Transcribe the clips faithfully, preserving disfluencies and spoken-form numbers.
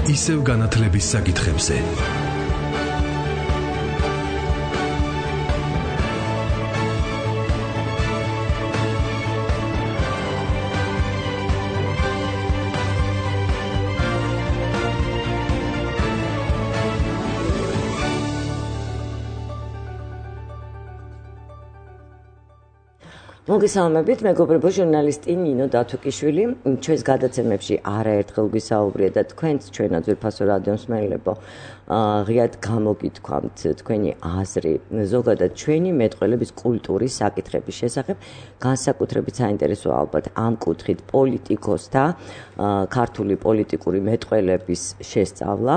ისევ განათლების საკითხებზე. მოგესალმებით, მეგობრებო, ჟურნალისტი ნინო დათუკიშვილი. ჩვენს გადაცემებში არაერთხელ გვისაუბრია და თქვენც ჩვენად ძვირფასო რადიო მსმენელებო, ღიად გამოგითქვამთ თქვენი აზრი ზოგადად ჩვენი მეტყველების კულტურის საკითხების შესახებ, განსაკუთრებით საინტერესოა ალბათ ამ კუთხით პოლიტიკოსთა ქართული პოლიტიკური მეტყველების შესწავლა.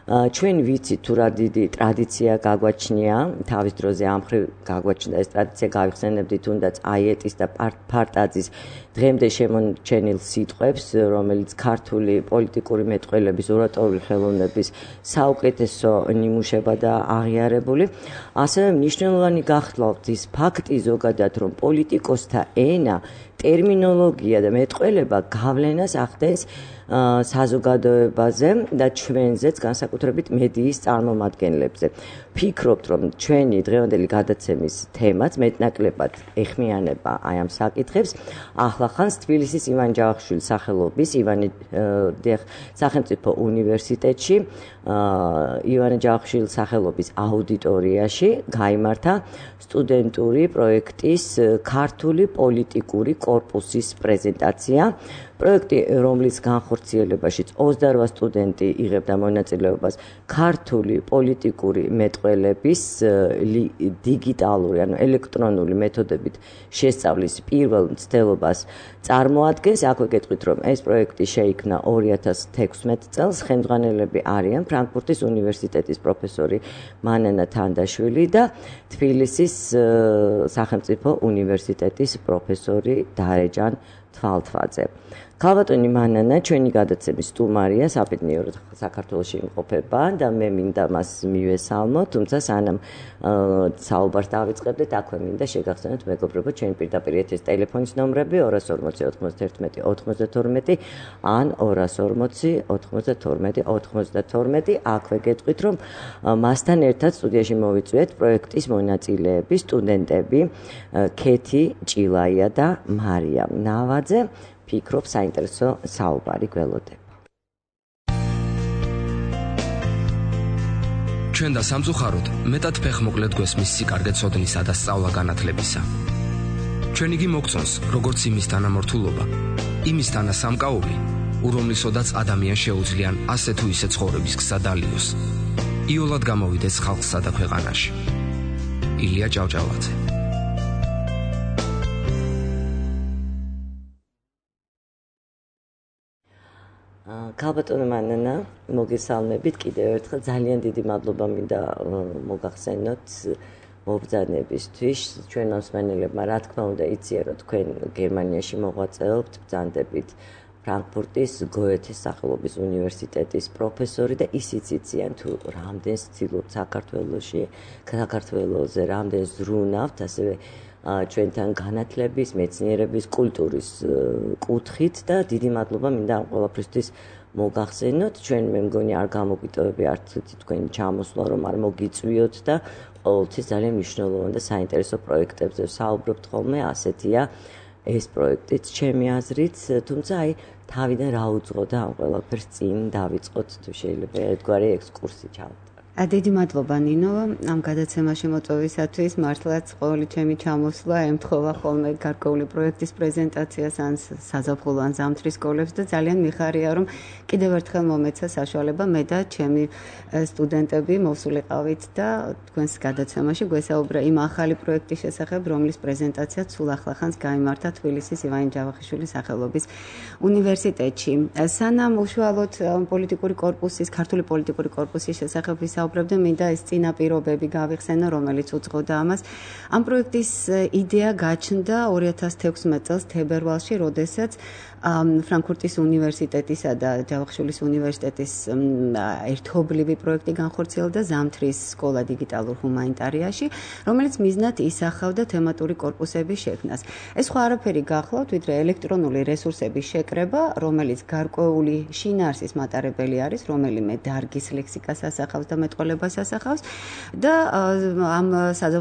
ჩვენ ვიცით თუ რა დიდი ტრადიცია გაგვაჩნია, თავის დროზე ამ მხრივ გაგვაჩნდა ეს ტრადიცია, გავიხსენებდი თუნდაც აიეტის და პარტაძის დღემდე შემორჩენილ სიტყვებს, რომელიც ქართული პოლიტიკური მეტყველების ორატორული ხელოვნების საუკეთესო ნიმუშება და აღიარებული. ასევე მნიშვნელოვანი გახლავთ ის ფაქტი ზოგადად, რომ პოლიტიკოსთა ენა, ტერმინოლოგია და მეტყველება გავლენას ახდენს საზოგადოებაზე და ჩვენზეც, განსაკუთრებით მედიის წარმომადგენლებზე. ფიქრობთ, რომ ჩვენი დღევანდელი გადაცემის თემაც მეტნაკლებად ეხმიანება აი ამ საკითხებს. ახლახანს თბილისის ივან ჯავახიშვილის სახელობის ივანე სახელმწიფო უნივერსიტეტში ივანე ჯავახიშვილის სახელობის აუდიტორიაში გაიმართა სტუდენტური პროექტის ქართული პოლიტიკური კორპუსის პრეზენტაცია. პროექტი, რომლის განხორციელებაშიც ოცდარვა სტუდენტი იღებდა მონაწილეობას ქართული პოლიტიკური მეტყველების დიგიტალური, ანუ ელექტრონული მეთოდებით შესწავლის პირველ მცდელობას წარმოადგენს. აქვე გეტყვით, რომ ეს პროექტი შეიქმნა ორი ათას თექვსმეტ წელს. ხელმძღვანელები არიან ფრანკფურტის უნივერსიტეტის პროფესორი მანანა თანდაშვილი და თბილისის სახელმწიფო უნივერსიტეტის პროფესორი დარეჯან თვალთვაძე. ქალბატონი მანანა ჩვენი გადაცემის სტუმარია, საბედნიეროდ საქართველოში იმყოფება და მე მინდა მას მივესალმო, თუმცა სანამ საუბარს დავიწყებდეთ, აქვე მინდა შეგახსენოთ მეგობრებო ჩვენი პირდაპირ ეთერის ტელეფონის ნომრები ორას ორმოცი ოთხმოცდაერთმეტი ოთხმოცდათორმეტი ან ორას ორმოცი ოთხმოცდათორმეტი ოთხმოცდათორმეტი. აქვე გეტყვით, რომ მასთან ერთად სტუდიაში მოვიწვიეთ პროექტის მონაწილეები, სტუდენტები ქეთი ჭილაია და მარიამ ნავაძე. ფიქრობ საინტერესო საუბარი გველოდება. ჩვენ და სამწუხაროდ მეტად ფეხმოკლედ გვესმის სიკარგე ცოდნისა და სწავლა განათლებისა. ჩვენ იგი მოგწონს, როგორც იმის თანამორთულობა, იმის თანა სამკაული, ურომლისოდაც ადამიანს შეუძლიან ასე თუ ისე ცხოვრების გზა დალიოს. იოლად გამოვიდეს ხალხსა და ქვეყანაში. ილია ჭავჭავაძე. ქალბატონო მანანა, მოგესალმებით კიდევ ერთხელ. ძალიან დიდი მადლობა მინდა მოგახსენოთ მობრძანებისთვის. ჩვენ მოსმენელებმა რა თქმა უნდა იციან, რომ თქვენ გერმანიაში მოღვაწეობთ, ბრძანდებით ფრანკფურტის გოეთეს სახელობის უნივერსიტეტის პროფესორი და ისიც იციან თუ რამდენს ცდილობთ საქართველოში, საქართველოზე რამდენს ზრუნავთ, ასევე ჩვენთან განათლების, მეცნიერების, კულტურის კუთხით და დიდი მადლობა მინდა ამ ყველაფრისთვის მოგახსენოთ. ჩვენ მე მგონი არ გამოგვიტოვებია არც თქვენი ჩამოსვლა, რომ არ მოგიწვიოთ და ყოველთვის ძალიან მნიშვნელოვან და საინტერესო პროექტებზე საუბრობთ ხოლმე, ასეთია ეს პროექტიც ჩემი აზრით, თუმცა აი თავიდან რა უძღოდა ამ ყველაფერს წინ დავიწყოთ თუ შეიძლება ერთგვარი ექსკურსი ჩავთ. დიდი მადლობა ნინო, ამ გადაცემაში მოწვევისათვის. მართლაც ყოველი ჩემი ჩამოსვლა ემთხოვა ხოლმე გარკვეული პროექტის პრეზენტაციას ან საზაფხულო ან ზამთრის სკოლებს და ძალიან მიხარია, რომ კიდევ ერთხელ მომეცა საშუალება მე და ჩემი სტუდენტები მოვსულიყავით და თქვენს გადაცემაში გვესაუბრა იმ ახალი პროექტის შესახებ, რომლის პრეზენტაციაც სულ ახლახანს გაიმართა თბილისის ივანე ჯავახიშვილის სახელობის უნივერსიტეტში. სანამ უშუალოდ პოლიტიკური კორპუსის, ქართული პოლიტიკური კორპუსის შესახებ ვისაუბრებდე, მინდა ეს წინაპირობები გავიხსენო, რომელიც უძღოდა ამას. ამ პროექტის იდეა გაჩნდა ორი ათას თექვსმეტ წელს თებერვალში, როდესაც ფრანკფურტის უნივერსიტეტისა და ჯავახიშვილის უნივერსიტეტის ერთობლივი პროექტი განხორციელდა ზამთრის სკოლა დიგიტალურ ჰუმანიტარიაში, რომელიც მიზნად ისახავდა თემატური კორპუსების შექმნას. ეს სხვა არაფერი გახლავთ, ვიდრე ელექტრონული რესურსების შეკრება, რომელიც გარკვეული შინაარსის მატარებელი არის, რომელიმე დარგის ლექსიკას ასახავს და მეტყველებას ასახავს და ამ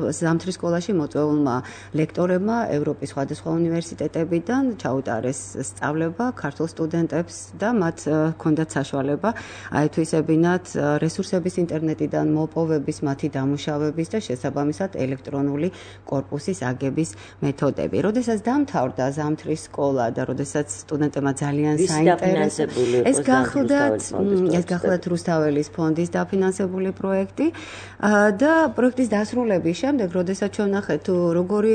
ზამთრის სკოლაში მოწვეულმა ლექტორებმა ევროპის სხვადასხვა უნივერსიტეტებიდან ჩაუტარეს სწავლება ქართულ სტუდენტებს და მათ ჰქონდათ საშუალება აეთვისებინათ რესურსების ინტერნეტიდან მოპოვების, მათი დამუშავების და შესაბამისად ელექტრონული კორპუსის აგების მეთოდები. როდესაც დამთავრდა ზამთრის სკოლა და როდესაც სტუდენტებმა ძალიან საინტერესო ეს გახლდათ ეს გახლდათ რუსთაველის ფონდის დაფინანსებული პროექტი და პროექტის დასრულების შემდეგ, როდესაც ჩვენ ნახეთ თუ როგორი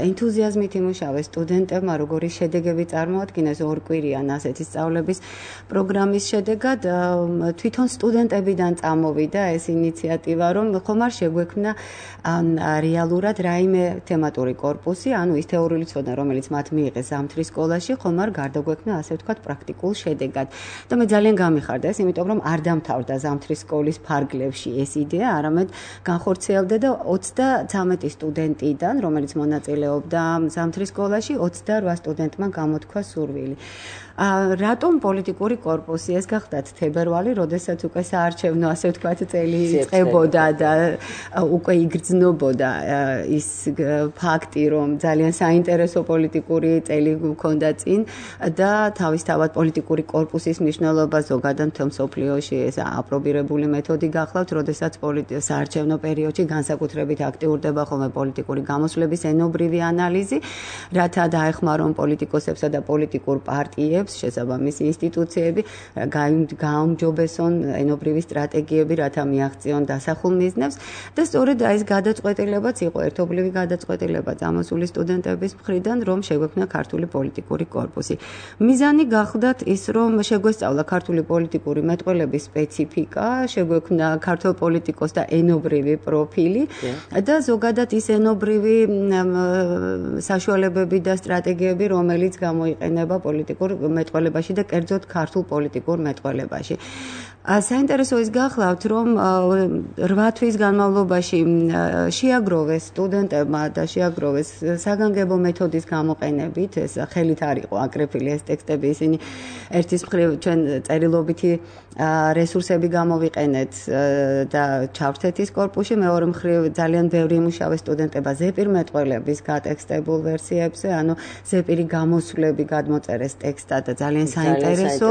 ენთუზიაზმით იმუშავეს სტუდენტებმა, როგორი შედეგები წარმოადგინეს ორკვირიან ასეთი სწავლების პროგრამის შედეგად, თვითონ სტუდენტებიდან წამოვიდა ეს ინიციატივა, რომ ხომ არ შეგვექმნა რეალურად რაიმე თემატური კორპუსი, ანუ ის თეორიული ცოდნა, რომელიც მათ მიიღეს ზამთრის სკოლაში, ხომ არ გარდაგვექმნა ასე ვთქვათ პრაქტიკულ შედეგად. და მე ძალიან გამიხარდა ეს, იმიტომ რომ არ დამთავრდა ზამთრის სკოლის ფარგლებში ეს იდეა, არამედ განხორციელდა და ოცდათვრამეტი სტუდენტიდან, რომელიც მონაწილეობდა ზამთრის სკოლაში, ოცდარვა სტუდენტმა გამოთქვა სურვილი. რატომ პოლიტიკური კორპუსი? ეს გახდათ თებერვალი, როდესაც უკვე საარჩევნო ასე ვთქვათ წელი იწყებოდა და უკვე იგრძნობოდა ის ფაქტი, რომ ძალიან საინტერესო პოლიტიკური წელი მქონდა წინ და თავისთავად პოლიტიკური კორპუსის მნიშვნელობა ზოგადად მთელ მსოფლიოში ეს აპრობირებული მეთოდი გახლავთ, როდესაც საარჩევნო პერიოდში განსაკუთრებით აქტიურდება ხოლმე პოლიტიკური გამოსვლების ენობრივი ანალიზი, რათა დაეხმარონ პოლიტიკოსებსა და პოლიტიკურ პარტიებს შესაბამისი ინსტიტუციები გაუმჯობესონ ენობრივი სტრატეგიები, რათა მიაღწიონ დასახულ მიზნებს და სწორედ ეს გადაწყვეტილებაც იყო ერთობლივი გადაწყვეტილება წამოსული სტუდენტების მხრიდან, რომ შეგვექმნა ქართული პოლიტიკური კორპუსი. მიზანი გახლდათ ის, რომ შეგვესწავლა ქართული პოლიტიკური მეტყველების სპეციფიკა, შეგვექმნა ქართულ პოლიტიკოსთა ენობრივი პროფილი და ზოგადად ის ენობრივი საშუალებები და სტრატეგიები, რომელიც გამოიყენება პოლიტიკურ მეტყველებაში და კერძოდ ქართულ პოლიტიკურ მეტყველებაში. საინტერესო ის გახლავთ, რომ რვა თვის განმავლობაში შეაგროვეს სტუდენტებმა და შეაგროვეს საგანგებო მეთოდის გამოყენებით, ეს ხელით არ იყო აკრეფილი ეს ტექსტები, ისინი ერთის მხრივ ჩვენ წერილობითი რესურსები გამოვიყენეთ და ჩავთეთ ის კორპუსში, მეორე მხრივ ძალიან ბევრი იმუშავეს სტუდენტებმა ზეპირ მეტყველების გატექსტებულ ვერსიებზე, ანუ ზეპირი გამოსვლები გადმოწერეს ტექსტად და ძალიან საინტერესო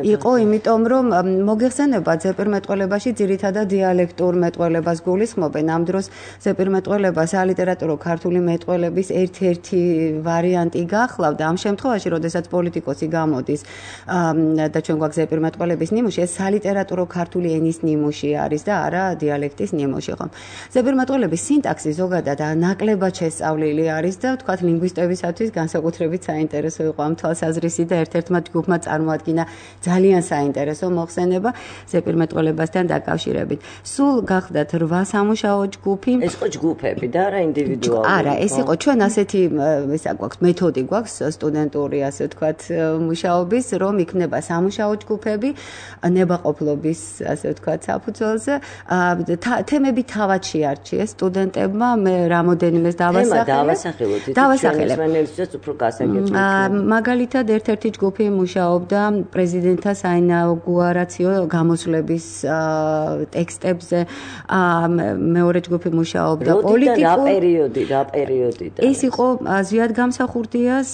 იყო, იმიტომ რომ მოგეხსენებათ ზეპირ მეტყველებაში ძირითადად დიალექტურ მეტყველებას გულისხმობენ. ამ დროს ზეპირ მეტყველება სალიტერატურო ქართული მეტყველების ერთ-ერთი ვარიანტი გახლავდა. ამ შემთხვევაში, როდესაც პოლიტიკოსი გამოდის და ჩვენ გვაქვს ზეპირ მეტყველების ნიმუში, ეს სალიტერატურო ქართული ენის ნიმუში არის და არა დიალექტის ნიმუში, ხომ? ზეპირ მეტყველების სინტაქსი ზოგადად ნაკლებად შესწავლილი არის და ვთქვათ ლინგვისტებისათვის განსაკუთრებით საინტერესო იყო ამ თვალსაზრისით და ერთ-ერთმა ჯგუფმა წარმოადგინა ძალიან საინტერესო მოხსენება ზეპირ მეტყველებასთან დაკავშირებით. სულ გახდათ რვა სამუშაო ჯგუფი. ეს იყო ჯგუფები და არა ინდივიდუალური. არა, ეს იყო ჩვენ ასეთი ისა გვაქვს მეთოდი გვაქვს სტუდენტური ასე ვთქვათ მუშაობის, რომ იქნება სამუშაო ჯგუფები ნებაყოფლობის ასე ვთქვათ საფუძველზე. თემები თავად შეარჩიეს სტუდენტებმა, მე რამოდენიმეს დავასახელე. დავასახელოთ. დავასახელე. ჩვენებსაც უფრო გასაგებია. მაგალითად ერთ-ერთი ჯგუფი მუშაობდა პრეზიდენტთა საინაუგურაციო გამოსვლების ტექსტებზე, მეორე ჯგუფი მუშაობდა პოლიტიკურ. რა პერიოდი, რა პერიოდიდან? ეს იყო ზვიად გამსახურდიას,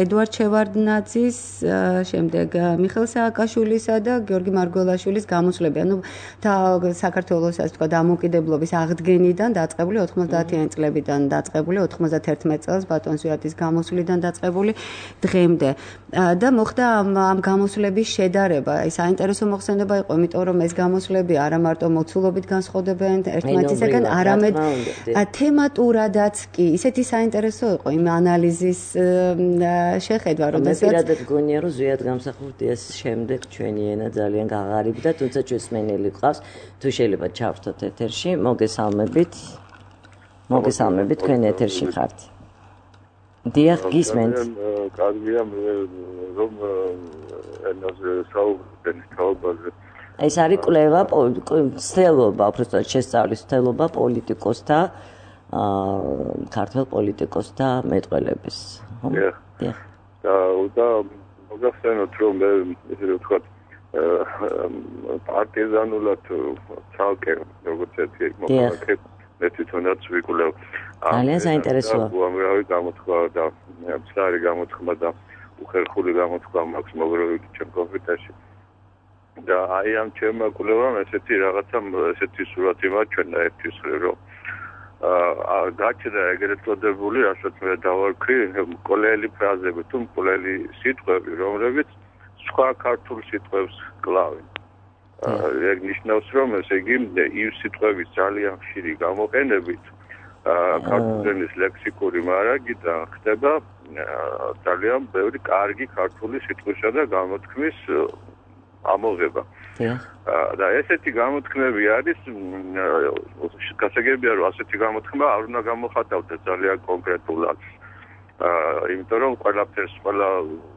ედუარდ შევარდნაძის, შემდეგ მიხეილ სააკაშვილისა და გიორგი მარგველაშვილის გამოსვლები. ანუ საქართველოს ასე ვთქვათ დამოუკიდებლობის აღდგენიდან დაწყებული ოთხმოცდაათიანი წლებიდან დაწყებული ოთხმოცდაათერთმეტ წელს ბატონ ზვიადის გამოსვლიდან დაწყებული დღემდე. და მოხდა ამ გამოსვლების შედარება. ეს საინტერესო მოხსენება იყო, იმიტომ რომ ეს გამოსვლები არა მარტო მოცულობით განსხვავდებიან ერთმანეთისგან, არამედ თემატურადაც კი. ისეთი საინტერესო იყო იმ ანალიზის შეხედვა, როდესაც მე პირადად გონია, რომ ზვიად გამსახურდიას შემდეგ ჩვენი ენა ძალიან გაღარიბდა, თუმცა ჩვენს მენელი ყავს, თუ შეიძლება ჩავრთოთ ეთერში, მოგესალმებით. მოგესალმებით, თქვენ ეთერში ხართ. დიახ, გისმენთ. კარგია რომ ენაზე საუბრობენ თაობაზე. ეს არის კვლევა, ცდელობა, უბრალოდ შესწავლის ცდელობა პოლიტიკოსთა, აა ქართველ პოლიტიკოსთა მეტყველების. დიახ. დიახ. და მოგახსენოთ რომ მე ესე ვთქვათ პარტიზანულად ცალკე როგორც ერთი მოქალაქე მე თვითონაც ვიკვლევ. ძალიან საინტერესოა. უამრავი გამოთქვა და მცდარი გამოთქვა და უხერხული გამოთქვა მაქვს მოგროვილი ჩემ კომპიუტერში. და აი ამ ჩემმა კვლევამ ესეთი რაღაცა ესეთი სურათი მაჩვენა ერთის რომ აა გაჩნდა ეგრეთ წოდებული, რასაც მე დავარქვი, მკვლელი ფრაზები თუ მკვლელი სიტყვები, რომლებიც სხვა ქართულ სიტყვებს კლავენ. ეგ ნიშნავს, რომ ესე იგი იმ სიტყვების ძალიან ხშირი გამოყენებით ქართულ ენის ლექსიკური მარაგიდან ხდება ძალიან ბევრი კარგი ქართული სიტყვისა და გამოთქმის ამოღება. და ესეთი გამოთქმები არის გასაგებია რომ ასეთი გამოთქმა არ უნდა გამოხატავდეს ძალიან კონკრეტულად. აა იმიტომ რომ ყველაფერს ყველა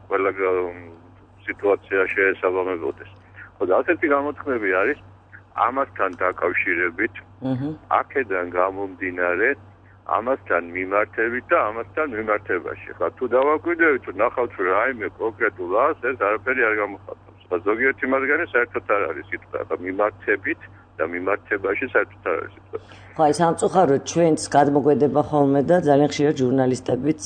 ყველა სიტუაცია შეესაბამებოდეს. ხოდა ასეთი გამოთქმები არის ამასთან დაკავშირებით, აქედან გამომდინარე, ამასთან მიმართებით და ამასთან მიმართებაში. ხა თუ დავაკვირდებით, თუ ნახავთ რომ რაიმე კონკრეტულ ას ეს არაფერი არ გამოხატავს. ზოგიერთი მათგანი საერთოდ არ არის სიტყვა, და მიმართებით და მიმართებაში საერთოდ არ არის სიტყვა. ხო, აი სამწუხაროდ ჩვენც გადმოგვედება ხოლმე და ძალიან ხშირად ჟურნალისტებიც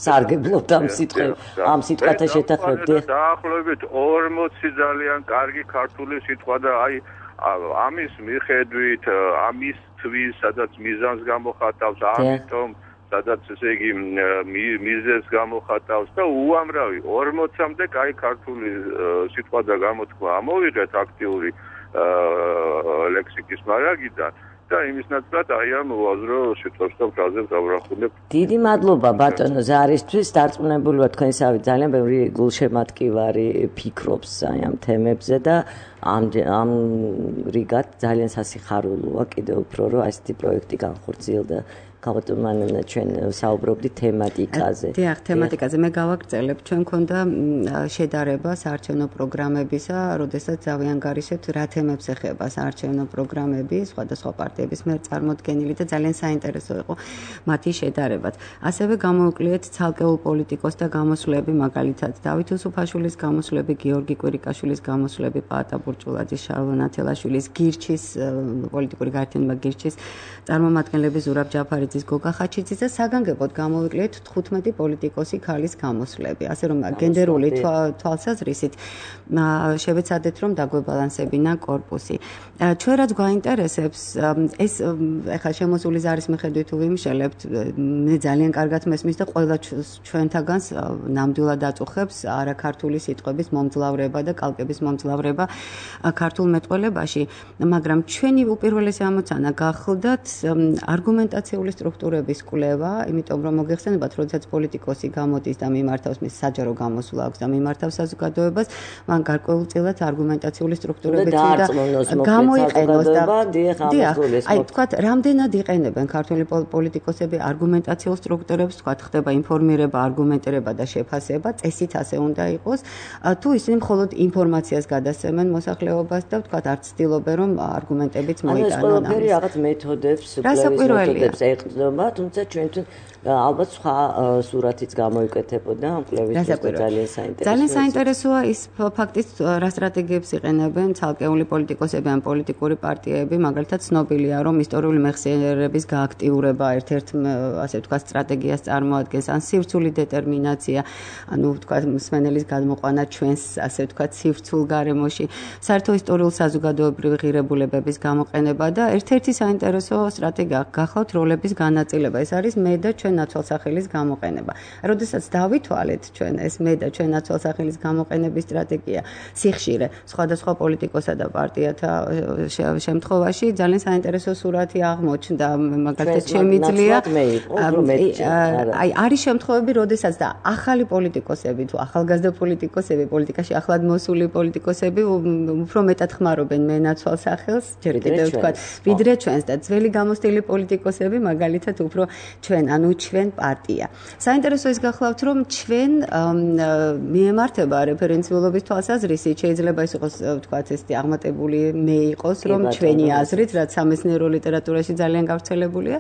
სარგებლობთ ამ სიტყვებს, ამ სიტყვათა შეთანხმებით. დაახლოებით ორმოცი ძალიან კარგი ქართული სიტყვა და აი ამის მიხედვით, ამის თვის, სადაც მიზანს გამოხატავს, ამიტომ სადაც ესე იგი მიზეზს გამოხატავს და უამრავი ორმოცამდე კაი ქართული სიტყვა და გამოთქვა ამოვიღეთ აქტიური ლექსიკის მარაგიდან და იმის ნაცვლად აი ამ უაზრო სიტყვებს და ფრაზებს დავრახულებ. დიდი მადლობა ბატონო ზარისთვის, დარწმუნებული ვარ თქვენსავით ძალიან ბევრი გულშემატკივარი ფიქრობს აი ამ თემებზე და ამ ამ რიგად ძალიან სასიხარულოა კიდევ უფრო რომ ასეთი პროექტი განხორციელდა. გავატომანენა ჩვენ საუბრობდით თემატიკაზე. დიახ, თემატიკაზე მე გავაგრძელებ, ჩვენ მქონდა შედარება საარჩევნო პროგრამებისა, როდესაც ავიანგარიშეთ რა თემებს ეხება საარჩევნო პროგრამები, სხვადასხვა პარტიების მიერ წარმოდგენილი და ძალიან საინტერესო იყო მათი შედარებაც. ასევე გამოვიკვლიეთ ცალკეულ პოლიტიკოსთა გამოსვლები, მაგალითად დავით უსუფაშვილის გამოსვლები, გიორგი კვირიკაშვილის გამოსვლები, პაატა ბურჭულაძის, შალვა ნათელაშვილის, გირჩის პოლიტიკური გაერთიანება გირჩის წარმომადგენლები ზურაბ ჯაფარიძის გოგა ხაჩიძის და საგანგებოდ გამოვიკვლიეთ თხუთმეტი პოლიტიკოსი ქალის გამოსვლები. ასე რომ გენდერული თვალსაზრისით შევეცადეთ რომ დაგვებალანსებინა კორპუსი. ჩვენ რაც გვაინტერესებს ეს ეხლა შემოსული ზარის მიხედვით ვიმშელებთ, მე ძალიან კარგად მესმის და ყველა ჩვენთაგანს ნამდვილად აწუხებს არაქართული სიტყვების მომძლავრება და კალკების მომძლავრება ქართულ მეტყველებაში, მაგრამ ჩვენი უპირველესი ამოცანა გახლდათ არგუმენტაციული სტრუქტურების კვლევა, იმიტომ რომ მოგეხსენებათ, როდესაც პოლიტიკოსი გამოდის და მიმართავს მის საჯარო გამოსვლა აქვს და მიმართავს საზოგადოებას, მან გარკვეულწილად არგუმენტაციული სტრუქტურები და გამოიყენოს და დიახ, აი თქვათ, რამდენად იყენებენ ქართული პოლიტიკოსები არგუმენტაციულ სტრუქტურებს, თქვათ, ხდება ინფორმირება, არგუმენტირება და შეფასება, წესით ასე უნდა იყოს, თუ ისინი მხოლოდ ინფორმაციას გადასცემენ მოსახლეობას და თქვათ, არც ცდილობენ რომ არგუმენტებიც მოიტანონ. ანუ ეს ყველაფერი რაღაც მეთოდებს, კვლევის მეთოდებს ეყრდნობა, თუმცა ჩვენთვის ალბათ სხვა სურათიც გამოიკეთებოდა ამ კვლევის ძალიან საინტერესოა. ძალიან საინტერესოა ის ფაქტიც, რა სტრატეგიებს იყენებენ ცალკეული პოლიტიკოსები ან პოლიტიკური პარტიები, მაგალითად ცნობილია, რომ ისტორიული მეხსიერების გააქტიურება ერთ-ერთ ასე ვთქვათ სტრატეგიას წარმოადგენს, ან სივრცული დეტერმინაცია, ანუ ვთქვათ მსმენელის გადმოყვანა ჩვენს ასე ვთქვათ სივრცულ გარემოში, საერთო ისტორიულ საზოგადოებრივი ღირებულებების გამოყენება და ერთ-ერთი საინტერესო სტრატეგია გახლავთ როლების განაწილება. ეს არის მე და ჩვენ ნაცვალსახელის გამოყენება. როდესაც დავითვალეთ ჩვენ ეს მე და ჩვენ ნაცვალსახელის გამოყენების სტრატეგია სიხშირე სხვადასხვა პოლიტიკოსა და პარტიათა შემთხვევაში ძალიან საინტერესო სურათი აღმოჩნდა, მაგალითად შემიძლია აი არის შემთხვევები, როდესაც და ახალი პოლიტიკოსები თუ ახალგაზრდა პოლიტიკოსები, პოლიტიკაში ახლად მოსული პოლიტიკოსები უფრო მეტად ხმარობენ მენაცვალ სახელს, ჯერ კიდევ ვთქვათ, ვიდრე ჩვენს და ძველი გამოცდილი პოლიტიკოსები მაგალითად უფრო ჩვენ, ანუ ჩვენ პარტია. საინტერესო ის გახლავთ, რომ ჩვენ მიემართება რეფერენციულობის თვალსაზრისით, შეიძლება ის იყოს ვთქვათ, ესეთი აღმატებული მე იყოს, რომ ჩვენი აზრით, რაც სამეცნიერო ლიტერატურაში ძალიან გავრცელებულია,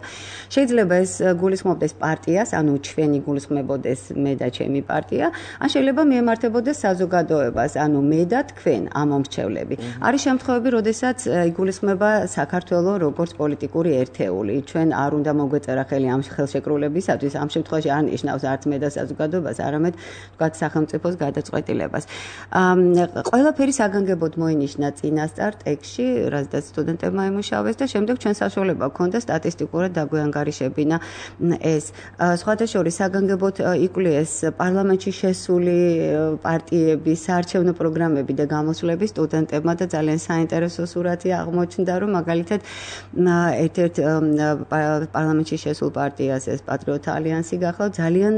შეიძლება ეს გულისხმობდეს პარტიას, ანუ ჩვენი გულისხმებოდეს მე და ჩემი პარტია, ან შეიძლება მიემართებოდეს საზოგადოებას, ანუ მე და თქვენ, ამომრჩევლები. არის შემთხვევები, როდესაც იგულისხმება საქართველო როგორც პოლიტიკური ერთეული. ჩვენ არ უნდა მოგვეწერა ხელი ამ ხელშეკრულებისათვის, ამ შემთხვევაში არ ნიშნავს არც მე და საზოგადოებას, არამედ ვთქვათ სახელმწიფოს გადაწყვეტილებას. ყველაფერი საგანგებოდ მოინიშნა წინასწარ ტექსტში, რაზეც სტუდენტებმა იმუშავეს და შემდეგ ჩვენ საშუალება გქონდა სტატისტიკურად დაგვეანგარიშებინა ეს. სხვათა შორის საგანგებოდ იკვლიეს პარლამენტში შესული პარტიების საარჩევნო პროგრამები და გამოსვლები სტუდენტებმა და ძალიან საინტერესო სურათი აღმოჩნდა, რომ მაგალითად ერთ-ერთ პარლამენტში შესულ პარტიას ეს პატრიოტთა ალიანსი გახლავთ, ძალიან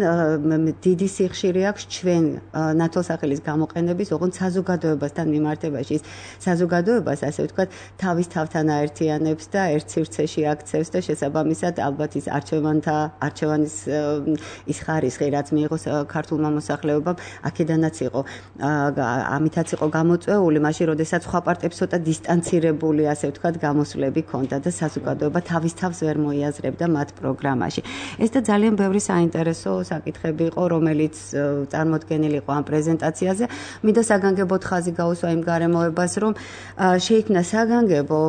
დიდი სიხშირე აქვს ჩვენ ნათელსახელის გამოყენების, ოღონდ საზოგადოებასთან მიმართებაში. ის საზოგადოებას, ასე ვთქვათ, თავის თავთან აერთიანებს და ერთ სივრცეში აქცევს და შესაბამისად ალბათ ის არჩევანთა არჩევანის ის ხარისხი, რაც მიიღო ქართულმა მოსახლეობამ, აქედანაც იყო ამითაც იყო გამოწვეული, მაშინ როდესაც სხვა პარტიებს ცოტა დისტანცირებული, ასე ვთქვათ, გამოსვლები ჰქონდა და საზოგადოება თავის თავს ვერ მოიაზრებდა მათ პროგრამაში. ეს და ძალიან ბევრი საინტერესო საკითხები იყო, რომელიც წარმოდგენილი იყო ამ პრეზენტაციაზე. მინდა საგანგებოდ ხაზი გაუსვა იმ გარემოებას, რომ შეიქმნა საგანგებო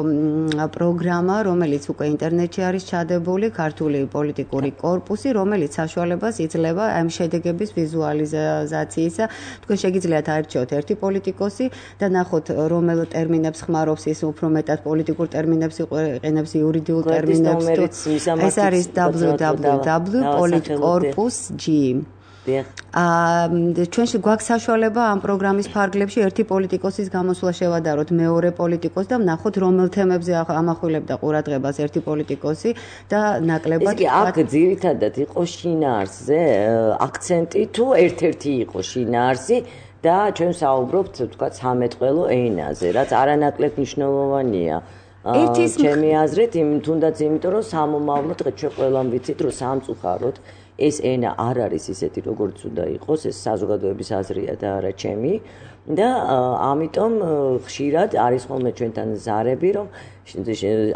პროგრამა, რომელიც უკვე ინტერნეტში არის ჩადებული, ქართული პოლიტიკური კორპუსი, რომელიც საშუალებას იძლევა ამ შედეგების ვიზუალიზაციისა. თქვენ შეგიძლიათ აერჩიოთ ერთი პოლიტიკოსი და ნახოთ, რომელ ტერმინებს ხმარობს ის, უფრო მეტად პოლიტიკურ ტერმინებს იყენებს, იურიდიულ ტერმინებს. ეს არის double-u double-u double-u dot politcorpus dot g. ჩვენში გვაქვს საშუალება ამ პროგრამის ფარგლებში ერთი პოლიტიკოსის გამოსვლა შევადაროთ მეორე პოლიტიკოს და ვნახოთ რომელ თემებზე ამახვილებდა ყურადღებას ერთი პოლიტიკოსი და ნაკლებად ეს კი აქ ძირითადად იყო შინაარსზე აქცენტი თუ ერთ-ერთი იყო შინაარსი და ჩვენ საუბრობთ თქვა სამეთყველო ენაზე, რაც არანაკლებ მნიშვნელოვანია. ჩემი აზრით, თუნდაც იმიტომ რომ სამომავლო დღე ჩვენ ყველამ ვიცით რომ სამწუხაროდ ეს ენა არ არის ისეთი როგორც უნდა იყოს, ეს საზოგადოების აზრია და არა ჩემი და ამიტომ ხშირად არის ხოლმე ჩვენთან ზარები, რომ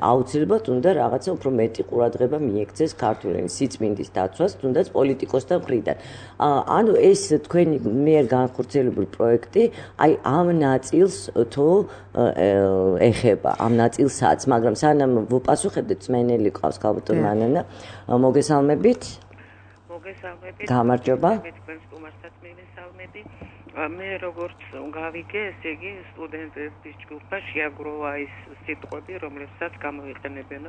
აუცილებლად უნდა რაღაცა უფრო მეტი ყურადღება მიექცეს ქართული ენის სიწმინდის დაცვას, თუნდაც პოლიტიკოსთა მხრიდან. ანუ ეს თქვენი მიერ განხორციელებული პროექტი, აი ამ ნაწილს თუ ეხება, ამ ნაწილსაც, მაგრამ სანამ ვუპასუხებდეთ, მსმენელი ყავს ქალბატონ მანანა, მოგესალმებით. მოგესალმებით. გამარჯობა. მე თქვენ სტუმარსაც მივესალმები. მე როგორც გავიგე, ესე იგი სტუდენტების ჯგუფმა შეაგროვა ის სიტყვები, რომლებსაც გამოიყენებენ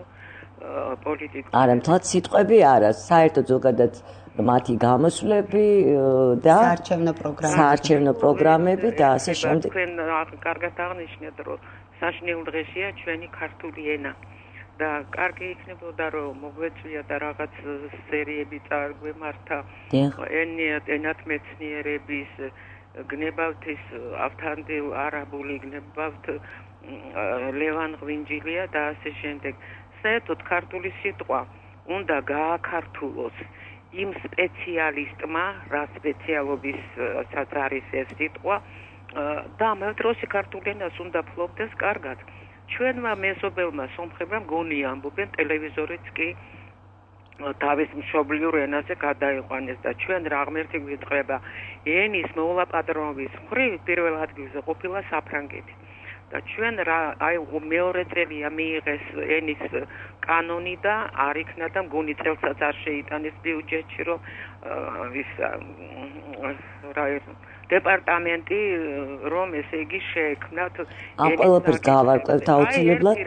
პოლიტიკოსები. არა, მთლად სიტყვები არა, საერთოდ ზოგადად მათი გამოსვლები და საარჩევნო პროგრამები. საარჩევნო პროგრამები და ასე შემდეგ. თქვენ კარგად აღნიშნეთ, რომ საშინელ დღეშია ჩვენი ქართული ენა. და კარგი იქნებოდა რომ მოგვეწვია და რაღაც სერიები წარგვემართა ენათმეცნიერების გნებავთ ის ავთანდილ არაბული გნებავთ ლევან ღვინჯილია და ასე შემდეგ. საერთოდ ქართული სიტყვა უნდა გააქართულოს იმ სპეციალისტმა, რა სპეციალობისაც არის ეს სიტყვა და ამ დროს ქართული ენას უნდა ფლობდეს კარგად. ჩვენმა მეზობელმა სომხებმა გონი ამბობენ ტელევიზორიც კი თავის მშობლიურ ენაზე გადაიყვანეს და ჩვენ რა ღმერთი გვიწყება ენის მოულაპატრონობის მხრივ პირველ ადგილზე ყოფილა საფრანგეთი და ჩვენ რა აი მეორე წელია მიიღეს ენის კანონი და არ იქნა და მგონი წელსაც არ შეიტანეს ბიუჯეტში რომ ის რა დეპარტამენტი რომ ესე იგი შეექმნათ ამ ყველაფერს გავარკვევთ აუცილებლად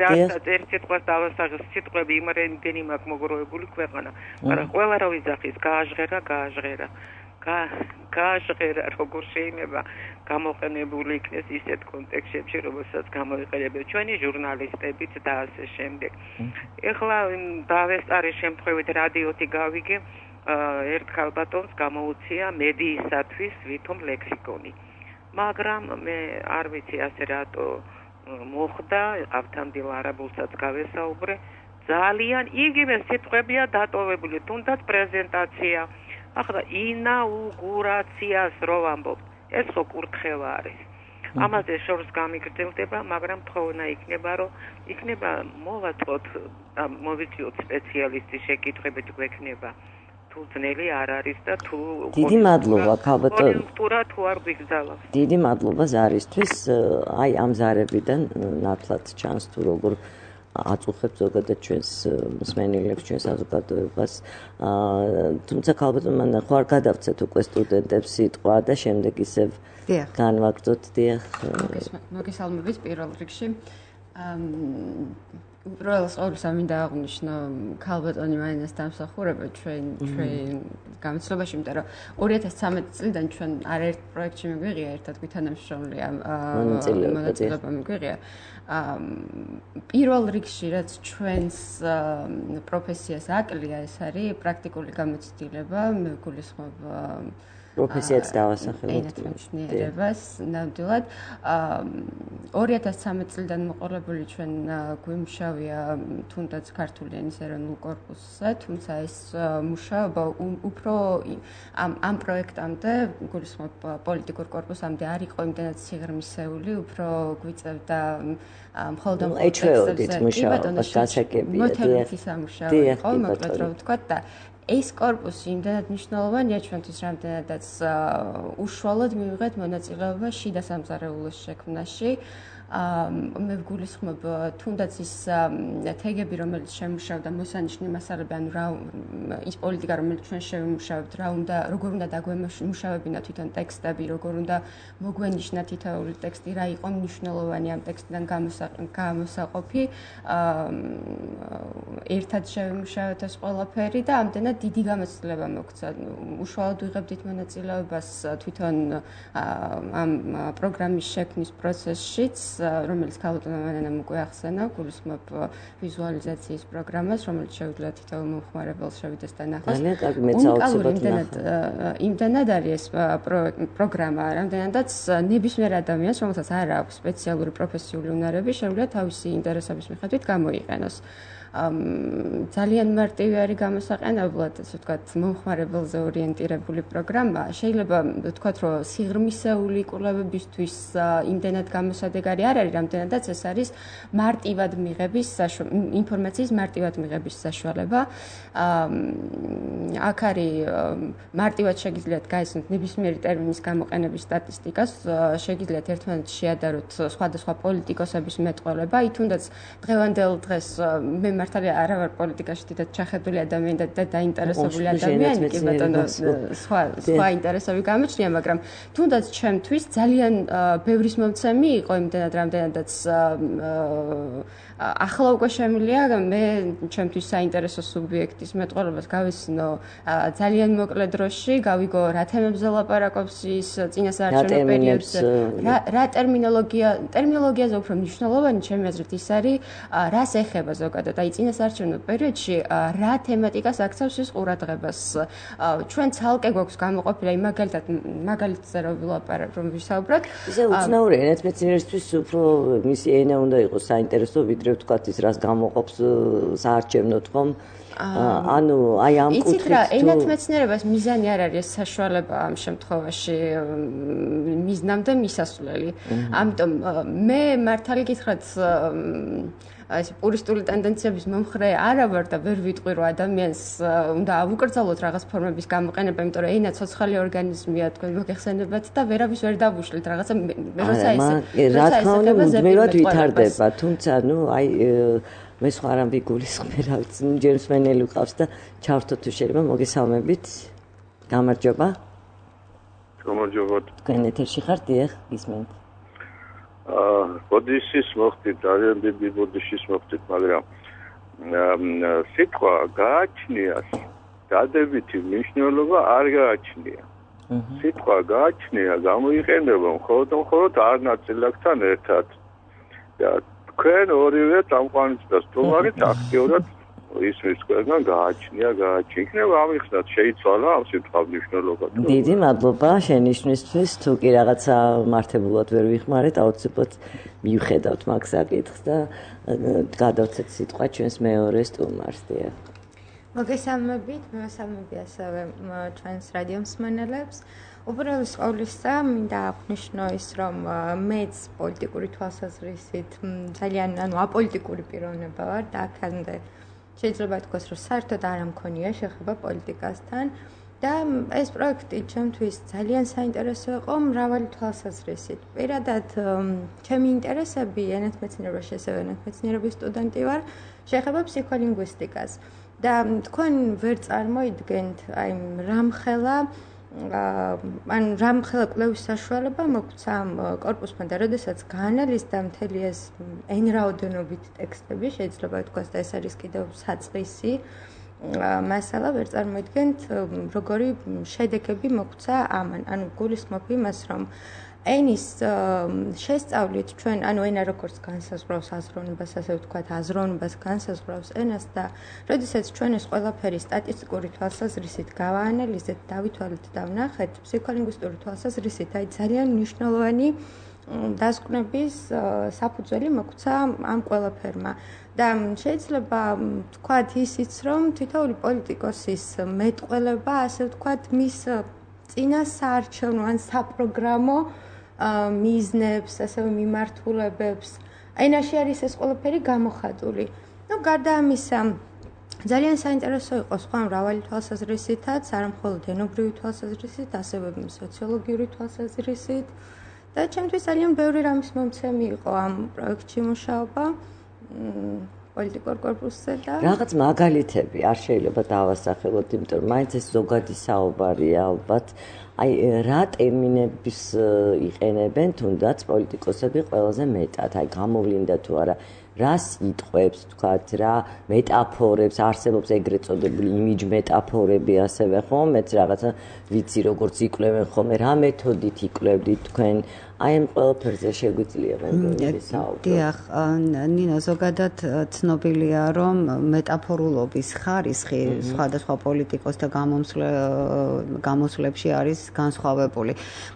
ერთ სიტყვას დავასაღეს სიტყვები იმრენდენი მაქვს მოგროვებული ქვეყანა მაგრამ ყველა რა ვიძახის გააჟღერა გააჟღერა გააჟღერა როგორ შეიძლება გამოყენებული იქნეს ისეთ კონტექსტებში რომელსაც გამოიყენებენ ჩვენი ჟურნალისტებიც და ასე შემდეგ ეხლა დავესწარი შემთხვევით რადიოთი გავიგე ერთ ქალბატონს გამოუცია მედიისათვის ვითომ ლექსიკონი მაგრამ მე არ ვიცი ასე რატო მოხდა, ავთანდილ არაბულსაც გავესაუბრე, ძალიან იგივე სიტყვებია დატოვებული, თუნდაც პრეზენტაცია. ახლა ინაუგურაციას რო ვამბობ, ეს ხო კურთხევა არის. ამაზე შორს გამიგრძელდება, მაგრამ თხოვნა იქნება, რომ იქნება მოვაწყოთ, მოვიწიოთ სპეციალისტის შეკითხვებით გვექნება. თუ ძნელი არ არის და თუ დიდი მადლობა ქალბატონ კონjunktურა თუ არ გვიგზავნოს. დიდი მადლობა ზარისთვის, აი ამ ზარებიდან ნათლად ჩანს თუ როგორ აწუხებს ზოგადად ჩვენს მსმენელებს, ჩვენს საზოგადოებას. თუმცა ქალბატონ მან ხوار გადავცეთ უკვე სტუდენტებს სიტყვა და შემდეგ ისევ განვაგრძოთ. დიახ. მოგესალმებით პირველ რიგში. უბრალოდ ყოველსა მინდა აღვნიშნო ქალბატონი მაინას დამსახურება ჩვენ ჩვენ გამოცდილებაში, იმიტომ რომ ორი ათას ცხრამეტი წლიდან ჩვენ არაერთ პროექტში მიგვიღია ერთად გვითანამშრომლია მონაწილეობა მიგვიღია. პირველ რიგში რაც ჩვენს პროფესიას აკლია, ეს არის პრაქტიკული გამოცდილება, მე გულისხმობ პროფესიაც დავასახელოთ. ენათმეცნიერებას ნამდვილად. ორი ათას ცხრამეტი წლიდან მოყოლებული ჩვენ გვიმუშავია თუნდაც ქართული ენის ეროვნულ კორპუსზე, თუმცა ეს მუშაობა უფრო ამ ამ პროექტამდე, გულისხმობ პოლიტიკურ კორპუსამდე არ იყო იმდენად სიღრმისეული, უფრო გვიწევდა მხოლოდ ამ ეჩვეოდით მუშაობას გასაგებია. მოთხოვითი სამუშაო იყო, მოკლედ რომ ვთქვათ და ეს კორპუსი იმდენად მნიშვნელოვანია ჩვენთვის, რამდენადაც უშუალოდ მივიღეთ მონაწილეობა შიდა სამზარეულოს შექმნაში. მე ვგულისხმობ თუნდაც ის თეგები, რომელიც შემუშავდა მოსანიშნე მასალები, ანუ რა ის პოლიტიკა, რომელიც ჩვენ შევიმუშავებთ, რა უნდა, როგორ უნდა დაგვემუშავებინა თვითონ ტექსტები, როგორ უნდა მოგვენიშნა თითოეული ტექსტი, რა იყო მნიშვნელოვანი ამ ტექსტიდან გამოსაყოფი. ერთად შევიმუშავეთ ეს ყველაფერი და ამდენად დიდი გამოცდილება მოგცა. უშუალოდ ვიღებდით მონაწილეობას თვითონ ამ პროგრამის შექმნის პროცესშიც, რომელიც ქალბატონმა მანანამ უკვე ახსენა, გულისხმობ ვიზუალიზაციის პროგრამას, რომელიც შეუძლია თითოეულ მომხმარებელს შევიდეს და ნახოს. უნიკალური იმდენად იმდენად არის ეს პროგრამა, რამდენადაც ნებისმიერ ადამიანს, რომელსაც არ აქვს სპეციალური პროფესიული უნარები, შეუძლია თავისი ინტერესების მიხედვით გამოიყენოს. ძალიან მარტივი არის გამოსაყენებლად, ასე ვთქვათ, მომხმარებელზე ორიენტირებული პროგრამა. შეიძლება ვთქვათ, რომ სიღრმისეული კვლევებისთვის იმდენად გამოსადეგარი არ არის, რამდენადაც ეს არის მარტივად მიღების ინფორმაციის მარტივად მიღების საშუალება. აქ არის მარტივად შეგიძლიათ გაიცნოთ ნებისმიერი ტერმინის გამოყენების სტატისტიკას, შეგიძლიათ ერთმანეთს შეადაროთ სხვადასხვა პოლიტიკოსების მეტყველება, აი თუნდაც დღევანდელ დღეს მე მართალია არა ვარ პოლიტიკაში დიდად ჩახედული ადამიანი და დაინტერესებული ადამიანი, კი ბატონო, სხვა სხვა ინტერესები გამოჩნია, მაგრამ თუნდაც ჩემთვის ძალიან ბევრის მომცემი იყო იმდენად, რამდენადაც ახლა უკვე შემიძლია მე ჩემთვის საინტერესო სუბიექტის მეტყველებას გავიცნო ძალიან მოკლე დროში, გავიგო რა თემებზე ლაპარაკობს ის წინასაარჩევნო პერიოდზე, რა ტერმინოლოგია, ტერმინოლოგიაზე უფრო მნიშვნელოვანი ჩემი აზრით ის არის, რას ეხება ზოგადად, აი წინასაარჩევნო პერიოდში რა თემატიკას აქცევს ის ყურადღებას. ჩვენ ცალკე გვაქვს გამოყოფილი, აი მაგალითად მაგალითზე რომ ვილაპარაკ, რომ ვისაუბროთ. ისე უცნაური ენათმეცნიერისთვის უფრო მისი ენა უნდა იყოს საინტერესო, ვიდრე ვთქვათ ის რას გამოყოფს საარჩევნოდ ხომ? ანუ აი ამ კუთხით იცით რა, ენათმეცნიერებას მიზანი არ არის საშუალება ამ შემთხვევაში მიზნამდე მისასვლელი. ამიტომ მე მართალი გითხრათ ეს პურისტული ტენდენციების მომხრე არა ვარ და ვერ ვიტყვი რომ ადამიანს უნდა ავუკრძალოთ რაღაც ფორმების გამოყენება, იმიტომ რომ ენა ცოცხალი ორგანიზმია, თქვენ მოგეხსენებათ და ვერავის ვერ დავუშვით რაღაცა როცა ეს რა თქმა უნდა მუდმივად ვითარდება, თუმცა ნუ აი მე სხვა რამ ვიგულისხმე, რა ვიცი, ჯერ მსმენელი ვყავს და ჩავრთოთ თუ შეიძლება, მოგესალმებით. გამარჯობა. გამარჯობა. თქვენ ეთერში ხართ, დიახ, გისმენთ. აა, ბოდიშის მოხდით, ძალიან დიდი ბოდიშის მოხდით, მაგრამ სიტყვა გააჩნიას დადებითი მნიშვნელობა არ გააჩნია. სიტყვა გააჩნია, გამოიყენება მხოლოდ მხოლოდ არ ნაწილაკთან ერთად. და თქვენ ორივე წამყვანიც და სტუმარიც აქტიურად ისმის ყველგან გააჩნია, გააჩნია. იქნება ამიხსნათ, შეიცვალა ამ სიტყვა მნიშვნელობა. დიდი მადლობა შენიშვნისთვის. თუ კი რაღაცა მართებულად ვერ ვიხმარეთ, აუცილებლად მივხედავთ მაგ საკითხს და გადავცეთ სიტყვა ჩვენს მეორე სტუმარს. დიახ. მოგესალმებით, მოგესალმები ასევე ჩვენს რადიო მსმენელებს. უბრალოდ ყოვლისა მინდა აღნიშნო ის, რომ მეც პოლიტიკური თვალსაზრისით ძალიან ანუ აპოლიტიკური პიროვნება ვარ და აქამდე შეიძლება ითქვას, რომ საერთოდ არ მქონია შეხება პოლიტიკასთან და ეს პროექტი ჩემთვის ძალიან საინტერესო იყო მრავალი თვალსაზრისით. პირადად ჩემი ინტერესები ენათმეცნიერებაში, ასევე ენათმეცნიერების სტუდენტი ვარ, შეეხება ფსიქოლინგვისტიკას. და თქვენ ვერ წარმოიდგენთ აი რამხელა ან რამხელა კვლევის საშუალება მოგვცა კორპუსმა და როდესაც გაანალიზდა მთელი ეს ენრაოდენობით ტექსტები, შეიძლება ითქვას და ეს არის კიდევ საწყისი მასალა, ვერ წარმოიდგენთ როგორი შედეგები მოგვცა ამან. ანუ გულისხმობ იმას, რომ ენის შესწავლით ჩვენ, ანუ ენა როგორც განსაზღვრავს აზროვნებას, ასე ვთქვათ, აზროვნებას განსაზღვრავს ენას და როდესაც ჩვენ ეს ყველაფერი სტატისტიკური თვალსაზრისით გავაანალიზეთ, დავითვალეთ და ვნახეთ, ფსიქოლინგვისტური თვალსაზრისით, აი ძალიან მნიშვნელოვანი დასკვნების საფუძველი მოგვცა ამ ყველაფერმა. და შეიძლება ვთქვათ ისიც, რომ თითოეული პოლიტიკოსის მეტყველება, ასე ვთქვათ, მის წინა საარჩევნო ან საპროგრამო მიზნებს, ასევე მიმართულებებს. ენაში არის ეს ყველაფერი გამოხატული. ნუ გარდა ამისა, ძალიან საინტერესო იყო სხვა მრავალი თვალსაზრისითაც, არა მხოლოდ ენობრივი თვალსაზრისით, ასევე სოციოლოგიური თვალსაზრისით. და ჩემთვის ძალიან ბევრი რამის მომცემი იყო ამ პროექტში მუშაობა პოლიტიკურ კორპუსზე და რაღაც მაგალითები არ შეიძლება დავასახელოთ, იმიტომ რომ მაინც ეს ზოგადი საუბარია ალბათ. აი რა ტერმინებს იყენებენ თუნდაც პოლიტიკოსები ყველაზე მეტად, აი გამოვლინდა თუ არა, რა სიტყვებს თქვათ, რა მეტაფორებს არსებობს ეგრეთ წოდებული იმიჯ მეტაფორები ასევე ხო, მეც რაღაცა ვიცი როგორც იკვლევენ ხოლმე, რა მეთოდით იკვლევდით თქვენ, აი ამ ყველაფერზე შეგვიძლია მეგობრები საუბრო. დიახ, ნინო, ზოგადად ცნობილია, რომ მეტაფორულობის ხარისხი სხვადასხვა პოლიტიკოსთა გამოსვლებში არის განსხვავებული.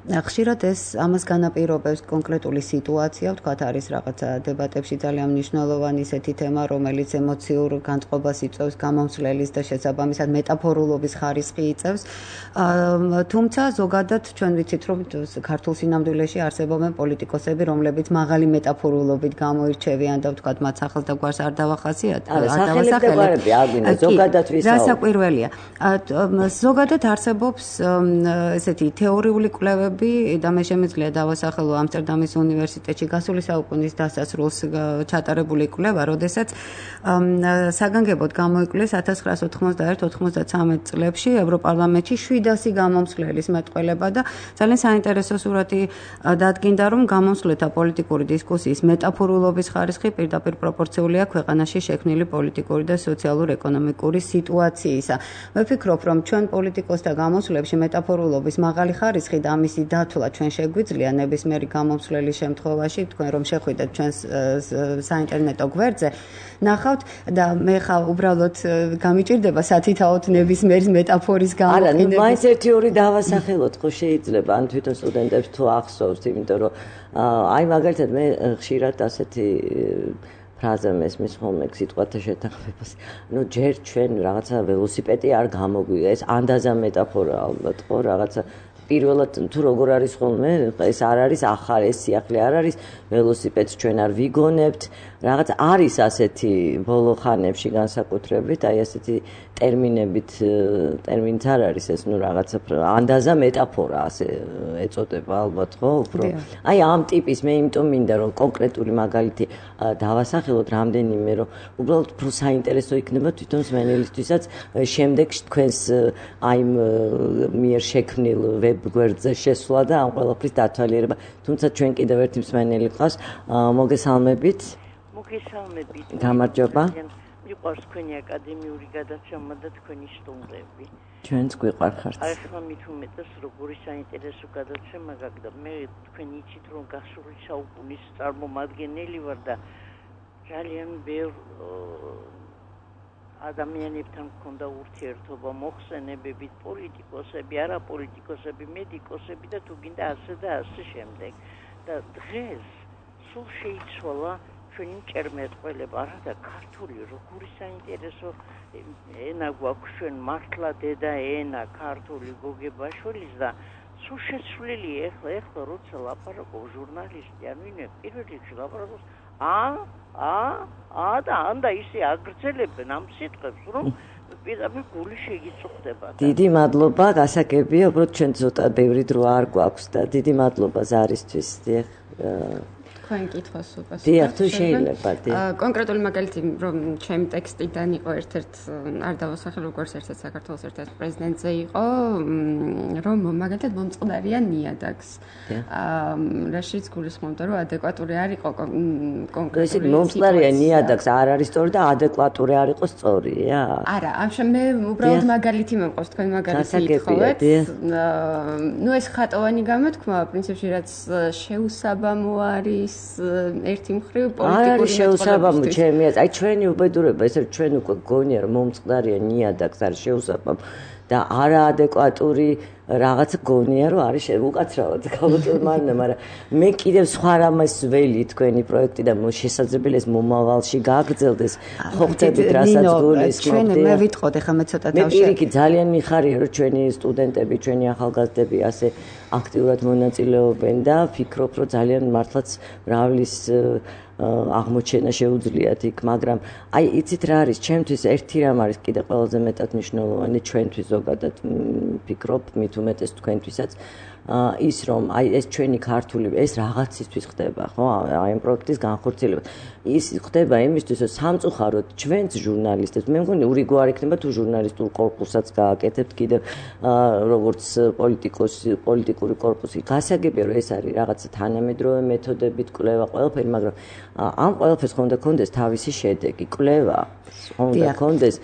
ხშირად ეს ამას განაპირობებს კონკრეტული სიტუაცია, ვთქვათ, არის რაღაცა დებატებში ძალიან მნიშვნელოვანი ისეთი თემა, რომელიც ემოციურ განწყობას იწვევს გამომცვლელის და შესაბამისად მეტაფორულობის ხარისხი იწევს. თუმცა ზოგადად ჩვენ ვიცით, რომ ქართულ სინამდვილეში არსებობენ პოლიტიკოსები, რომლებიც მაღალი მეტაფორულობით გამოირჩევიან და ვთქვათ, მათ სახელს და გვარს არ დავახასიათებთ, არ დავასახელებ. ზოგადად ვისაუბრეთ. რასაკვირველია. ზოგადად არსებობს ესეთი თეორიული კვლევები და მე შემიძლია დავასახელო ამსტერდამის უნივერსიტეტში გასული საუკუნის დასასრულს ჩატარებული კვლევა, როდესაც საგანგებოდ გამოიკვლიეს ათას ცხრაასი ოთხმოცდაერთი ოცდამეცხრე წლებში ევროპარლამენტში შვიდასი გამომცვლელის მეტყველება და ძალიან საინტერესო სურათი დადგინდა, რომ გამომცვლელთა პოლიტიკური დისკუსიის მეტაფორულობის ხარისხი პირდაპირ პროპორციულია ქვეყანაში შექმნილი პოლიტიკური და სოციალურ-ეკონომიკური სიტუაციისა. მე ვფიქრობ, რომ ჩვენ პოლიტიკოსთა გამოსვლებში მეტაფორულობის მაღალი ხარისხი და ამისი დათვლა ჩვენ შეგვიძლია ნებისმიერი გამომცვლელის შემთხვევაში, თქვენ რომ შეხვიდეთ ჩვენს საინტერნეტო გვერდზე, ნახავთ და მე ხა უბრალოდ გამიჭირდება სათითაოდ ნებისმიერი მეტაფორის გამოყენება. არა, მაინც ერთი ორი დავასახელოთ, ხო შეიძლება, ან თვითონ სტუდენტებს თუ ახსოვს, იმიტომ რომ აი მაგალითად მე ხშირად ასეთი ფრაზა მესმის ხოლმე სიტყვათა შეთანხმებას. ნუ ჯერ ჩვენ რაღაცა ველოსიპედი არ გამოგვია, ეს ანდაზა მეტაფორა ალბათ, ხო, რაღაცა პირველად თუ როგორ არის ხოლმე, ეს არ არის ახალი, ეს სიახლე არ არის, ველოსიპედს ჩვენ არ ვიგონებთ, რაღაც არის ასეთი ბოლო ხანებში განსაკუთრებით, აი ასეთი ტერმინებით, ტერმინიც არ არის ეს, ნუ რაღაცა ანდაზა მეტაფორა ასე ეწოდება ალბათ, ხო, უფრო. აი ამ ტიპის მე იმიტომ მინდა რომ კონკრეტული მაგალითი დავასახელოთ რამდენიმე, რომ უბრალოდ უფრო საინტერესო იქნება თვითონ მსმენელისთვისაც შემდეგში თქვენს აი მიერ შექმნილ ვებ გვერდზე შესვლა და ამ ყველაფრის დათვალიერება. თუმცა ჩვენ კიდევ ერთი მსმენელი ყავს, მოგესალმებით. მოგესალმებით. გამარჯობა. მიყვარს თქვენი აკადემიური გადაცემა და თქვენი სტუმრები. ჩვენც გვიყვარხართ. აი ხმა მით უმეტეს როგორი საინტერესო გადაცემა გაგდა. მე თქვენ იცით რომ გასული საუკუნის წარმომადგენელი ვარ და ძალიან ბევრ ადამიანებთან მქონდა ურთიერთობა მოხსენებებით, პოლიტიკოსები, არაპოლიტიკოსები, მედიკოსები და თუ გინდა ასე და ასე შემდეგ. და დღეს სულ შეიცვალა ჩვენი მჭერმეტყველება, არადა ქართული როგორი საინტერესო ენა გვაქვს ჩვენ მართლა დედა ენა ქართული გოგებაშვილის და სულ შეცვლილი ეხლა ეხლა როცა ლაპარაკობს ჟურნალისტი ან ვინმე პირველ რიგში ლაპარაკობს ა ა ა და ანდა ისე აგრძელებენ ამ სიტყვებს რომ პირდაპირ გული შეგიწუხდება. დიდი მადლობა, გასაგებია, უბრალოდ ჩვენ ცოტა ბევრი დრო არ გვაქვს და დიდი მადლობა ზარისთვის. დიახ. თქვენ კითხვას უპასუხებთ. დიახ, თუ შეიძლება, დიახ. კონკრეტული მაგალითი, რომ ჩემი ტექსტიდან იყო ერთ-ერთ არ დავასახელო როგორც ერთ-ერთ საქართველოს ერთ-ერთ პრეზიდენტზე იყო, რომ მაგალითად მომწყდარია ნიადაგს. აა რაშიც გულისხმობდა, რომ ადეკვატური არ იყო კონკრეტული. ესე მომწყდარია ნიადაგს არ არის სწორი და ადეკვატური არ იყო სწორია? არა, ამ შემე უბრალოდ მაგალითი მომყავს, თქვენ მაგალითი ითხოვეთ. ნუ ეს ხატოვანი გამოთქმა, პრინციპში რაც შეუსაბამო არის ერთი მხრივ პოლიტიკური არ არის შეუსაბამო ჩემი აზრით. აი ჩვენი უბედურება ეს ჩვენ უკვე გონია რომ მომწყდარია ნიადაგს არის შეუსაბამო და არაადეკვატური რაღაც გონია რომ არის უკაცრავად გავუწევმარნა, მაგრამ მე კიდევ სხვა რამას ველი თქვენი პროექტი და შესაძლებელი ეს მომავალში გააგრძელდეს. ხო ხდებით რასაც გულისხმობთ. ჩვენ მე ვიტყოდ ახლა მე ცოტა თავში. მე პირიქით ძალიან მიხარია რომ ჩვენი სტუდენტები, ჩვენი ახალგაზრდები ასე აქტიურად მონაწილეობენ და ვფიქრობ რომ ძალიან მართლაც მრავლის აღმოჩენა შეუძლიათ იქ, მაგრამ აი იცით რა არის, ჩემთვის ერთი რამ არის კიდე ყველაზე მეტად მნიშვნელოვანი ჩვენთვის ზოგადად ვფიქრობ, მით უმეტეს თქვენთვისაც ის რომ აი ეს ჩვენი ქართული ეს რაღაცისთვის ხდება, ხო? აი ამ პროექტის განხორციელება. ის ხდება იმისთვის, რომ სამწუხაროდ ჩვენც ჟურნალისტებს, მე მგონი ურიგო არ იქნება თუ ჟურნალისტურ კორპუსაც გააკეთებთ კიდევ როგორც პოლიტიკოსი, პოლიტიკური კორპუსი. გასაგებია რომ ეს არის რაღაცა თანამედროვე მეთოდებით კვლევა ყველაფერი, მაგრამ ამ ყველაფერს ხონდა კონდეს თავისი შედეგი, კვლევა ხონდა კონდეს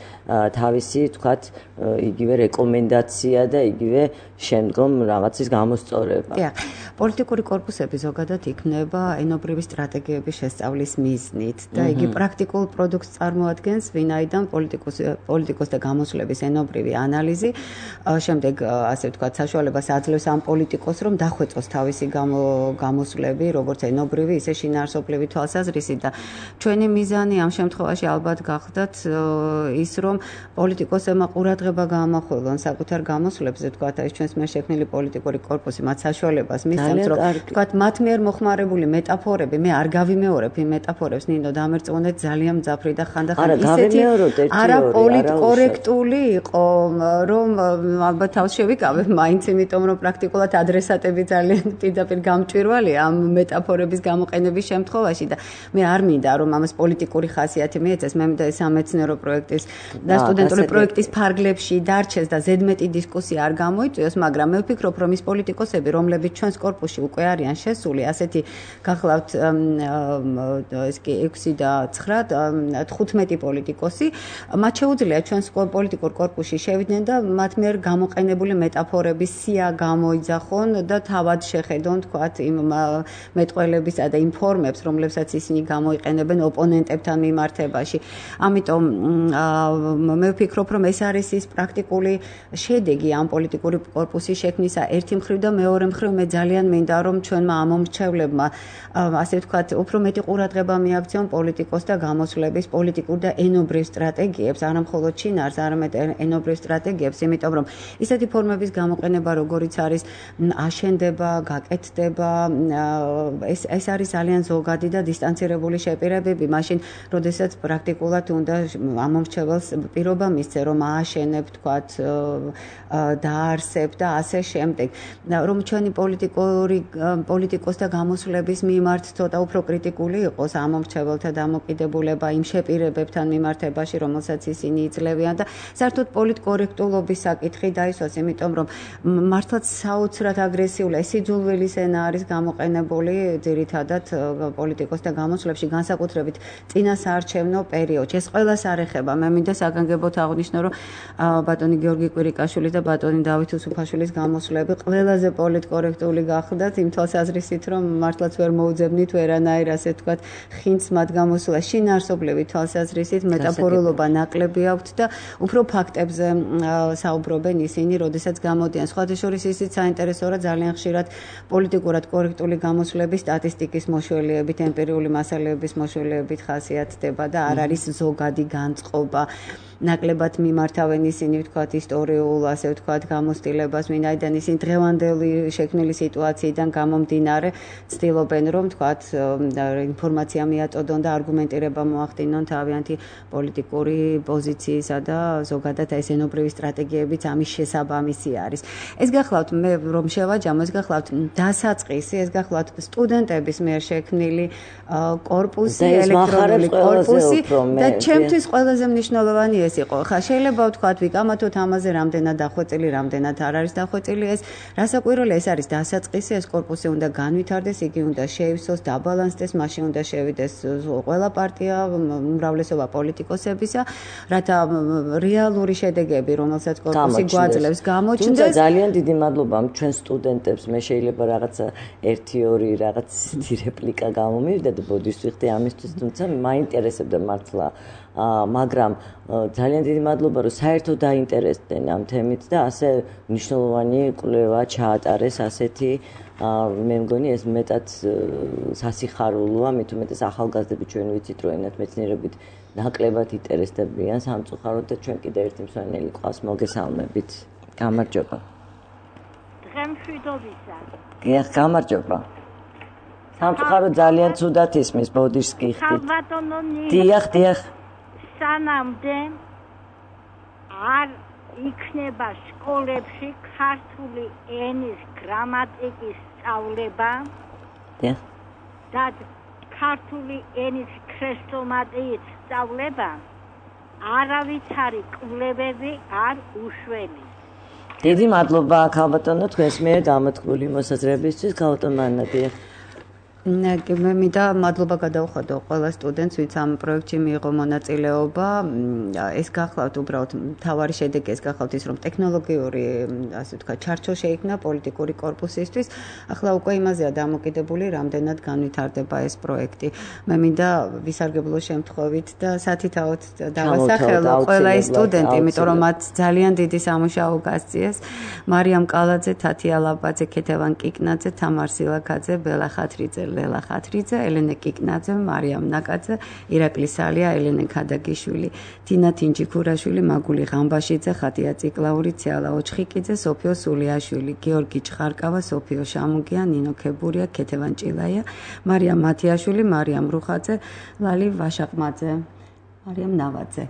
თავისი, თქვათ, იგივე რეკომენდაცია და იგივე შემდგომ რაღაცის გამოსწორება. დიახ, პოლიტიკური კორპუსები ზოგადად იქნება ენობრივი სტრატეგიების შესწავლის მიზნით და იგი პრაქტიკულ პროდუქტს წარმოადგენს, ვინაიდან პოლიტიკოს პოლიტიკოს და გამოსვლების ენობრივი ანალიზი, შემდეგ ასე ვთქვათ, საშუალებას აძლევს ამ პოლიტიკოს, რომ დახვეწოს თავისი გამოსვლები, როგორც ენობრივი, ისე შინაარსობრივი თვალსაზრისით და ჩვენი მიზანი ამ შემთხვევაში ალბათ გახდათ ის, რომ პოლიტიკოსებმა ყურადღება გაამახვილონ საკუთარ გამოსვლებზე, ვთქვათ, ეს ჩვენს მიერ შექმნილი პოლიტიკური კორპუსი მათ საშუალებას მისცემს, რომ ვთქვათ, მათ მიერ მოხმარებული მეტაფორები, მე არ გავიმეორებ იმ მეტაფორებს, ნინო, დამერწმუნეთ ძალიან მძაფრი და ხანდახან ისეთი არაპოლიტკორექტული იყო, რომ ალბათ თავს შევიკავებ მაინც, იმიტომ რომ პრაქტიკულად ადრესატები ძალიან პირდაპირ გამჭვირვალეა ამ მეტაფორების გამოყენების შემთხვევაში და მე არ მინდა რომ ამას პოლიტიკური ხასიათი მიეცეს, მე მინდა ეს სამეცნიერო პროექტის და სტუდენტური პროექტის ფარგლებში დარჩეს და ზედმეტი დისკუსია არ გამოიწვიოს, მაგრამ მე ვფიქრობ, რომ ის პოლიტიკოსები, რომლებიც ჩვენს კორპუსში უკვე არიან შესული, ასეთი გახლავთ ეს კი ექვსი და ცხრა, თხუთმეტი პოლიტიკოსი, მათ შეუძლია ჩვენს პოლიტიკურ კორპუსში შევიდნენ და მათ მიერ გამოყენებული მეტაფორების სია გამოიძახონ და თავად შეხედონ, თქვათ, იმ მეტყველებისა და იმ ფორმებს, რომლებსაც ისინი გამოიყენებენ ოპონენტებთან მიმართებაში. ამიტომ მე ვფიქრობ, რომ ეს არის ის პრაქტიკული შედეგი ამ პოლიტიკური კორპუსის შექმნისა ერთი მხრივ და მეორე მხრივ მე ძალიან მინდა რომ ჩვენმა ამომრჩევლებმა ასე ვთქვათ, უფრო მეტი ყურადღება მიაქციონ პოლიტიკოს და გამოსვლების პოლიტიკურ და ენობრივ სტრატეგიებს, არა მხოლოდ შინაარს, არამედ ენობრივ სტრატეგიებს, იმიტომ რომ ისეთი ფორმების გამოყენება, როგორიც არის აშენდება, გაკეთდება, ეს ეს არის ძალიან ზოგადი და დისტანცირებული შეპირებები, მაშინ, როდესაც პრაქტიკულად უნდა ამომრჩეველს პირობა მისცე, რომ ააშენებ, თქვათ, დაარსებ და ასე შემდეგ. რომ ჩვენი პოლიტიკური პოლიტიკოს და გამოსვლების მიმართ ცოტა უფრო კრიტიკული იყოს ამომრჩეველთა დამოკიდებულება იმ შეპირებებთან მიმართებაში, რომელსაც ისინი იძლევიან და საერთოდ პოლიტკორექტულობის საკითხი დაისვას, იმიტომ რომ მართლაც საოცრად აგრესიულია, სიძულვილის ენა არის გამოყენებული ძირითადად პოლიტიკოს და გამოსვლებში, განსაკუთრებით წინასაარჩევნო პერიოდში. ეს ყველას არ ეხება. მე მინდა საგანგებოდ აღვნიშნო, რომ ბატონი გიორგი კვირიკაშვილის და ბატონი დავით უსუფაშვილის გამოსვლები ყველაზე პოლიტკორექტული გახდათ იმ თვალსაზრისით, რომ მართლაც ვერ მოუძებნით ვერანაირ ასე ვთქვათ ხინც მათ გამოსვლა შინაარსობრივი თვალსაზრისით მეტაფორულობა ნაკლები აქვთ და უფრო ფაქტებზე საუბრობენ ისინი, როდესაც გამოდიან. სხვათა შორის ისიც საინტერესოა ძალიან ხშირად პოლიტიკურად კორექტული გამოსვლები სტატისტიკის მოშველიებით, ემპირიული მასალების მოშველიებით ხასიათდება და არ არის ზოგადი განწყობა. ნაკლებად მიმართავენ ისინი ვთქვათ ისტორიულ ასე ვთქვათ გამოცდილებას, ვინაიდან ისინი დღევანდელი შექმნილი სიტუაციიდან გამომდინარე ცდილობენ რომ ვთქვათ ინფორმაცია მიაწოდონ და არგუმენტირება მოახდინონ თავიანთი პოლიტიკური პოზიციისა და ზოგადად ეს ენობრივი სტრატეგიებიც ამის შესაბამისი არის. ეს გახლავთ მე რომ შევაჯამო, ეს გახლავთ დასაწყისი, ეს გახლავთ სტუდენტების მიერ შექმნილი კორპუსი, ელექტრონული კორპუსი და ჩემთვის ყველაზე მნიშვნელოვანი ეს იყო. ხა შეიძლება ვთქვათ ვიკამათოთ ამაზე რამდენად დახვეწილი, რამდენად არ არის დახვეწილი ეს. რასაკვირველია ეს არის დასაწყისი, ეს კორპუსი უნდა განვითარდეს, იგი უნდა შეივსოს, დაბალანსდეს, მაშინ უნდა შევიდეს ყველა პარტია, უმრავლესობა პოლიტიკოსებისა, რათა რეალური შედეგები, რომელსაც კორპუსი გვაძლევს, გამოჩნდეს. თუმცა ძალიან დიდი მადლობა ჩვენ სტუდენტებს, მე შეიძლება რაღაცა ერთი ორი რაღაც ისეთი რეპლიკა გამომივიდა და ბოდიშს ვიხდი ამისთვის, თუმცა მაინტერესებდა მართლა მაგრამ ძალიან დიდი მადლობა რომ საერთოდ დაინტერესდნენ ამ თემით და ასე მნიშვნელოვანი კვლევა ჩაატარეს ასეთი მე მგონი ეს მეტად სასიხარულოა, მით უმეტეს ახალგაზრდები ჩვენ ვიცით რომ ენათ მეცნიერებით ნაკლებად ინტერესდებიან სამწუხაროდ და ჩვენ კიდევ ერთი მსვენელი ყავს მოგესალმებით. გამარჯობა. დღემშვიდობისა. გიახ, გამარჯობა. სამწუხაროდ ძალიან ცუდად ისმის ბოდიშს გიხდით. დიახ, დიახ. სანამდე არ იქნება სკოლებში ქართული ენის გრამატიკის სწავლება და ქართული ენის ქრესტომატიის სწავლება არავითარი კვლევები არ უშველის. დიდი მადლობა ქალბატონო თქვენს მიერ გამოთქმული მოსაზრებისთვის. ქალბატონო ანნა, დიახ. მე მინდა მადლობა გადავხადო ყველა სტუდენტს, ვინც ამ პროექტში მიიღო მონაწილეობა. ეს გახლავთ უბრალოდ მთავარი შედეგი ეს გახლავთ ის, რომ ტექნოლოგიური, ასე ვთქვათ, ჩარჩო შეიქმნა პოლიტიკური კორპუსისთვის. ახლა უკვე იმაზეა დამოკიდებული, რამდენად განვითარდება ეს პროექტი. მე მინდა ვისარგებლო შემთხვევით და სათითაოდ დავასახელო ყველა ის სტუდენტი, იმიტომ რომ მათ ძალიან დიდი სამუშაო გასწიეს. მარიამ კალაძე, თათია ლაბაძე, ქეთევან კიკნაძე, თამარ სილაქაძე, ბელა ხათრიძე, ლელა ხათრიძე, ელენე კიკნაძე, მარიამ ნაკაძე, ირაკლი სალია, ელენე ქადაგიშვილი, თინა თინჯიქურაშვილი, მაგული ღამბაშიძე, ხატია ციკლაური, ციალა ოჩხიკიძე, სოფიო სულიაშვილი, გიორგი ჩხარკავა, სოფიო შამუგია, ნინო ქებურია, ქეთევან ჭილაია, მარიამ მათიაშვილი, მარიამ რუხაძე, ლალი ვაშაყმაძე, მარიამ ნავაძე.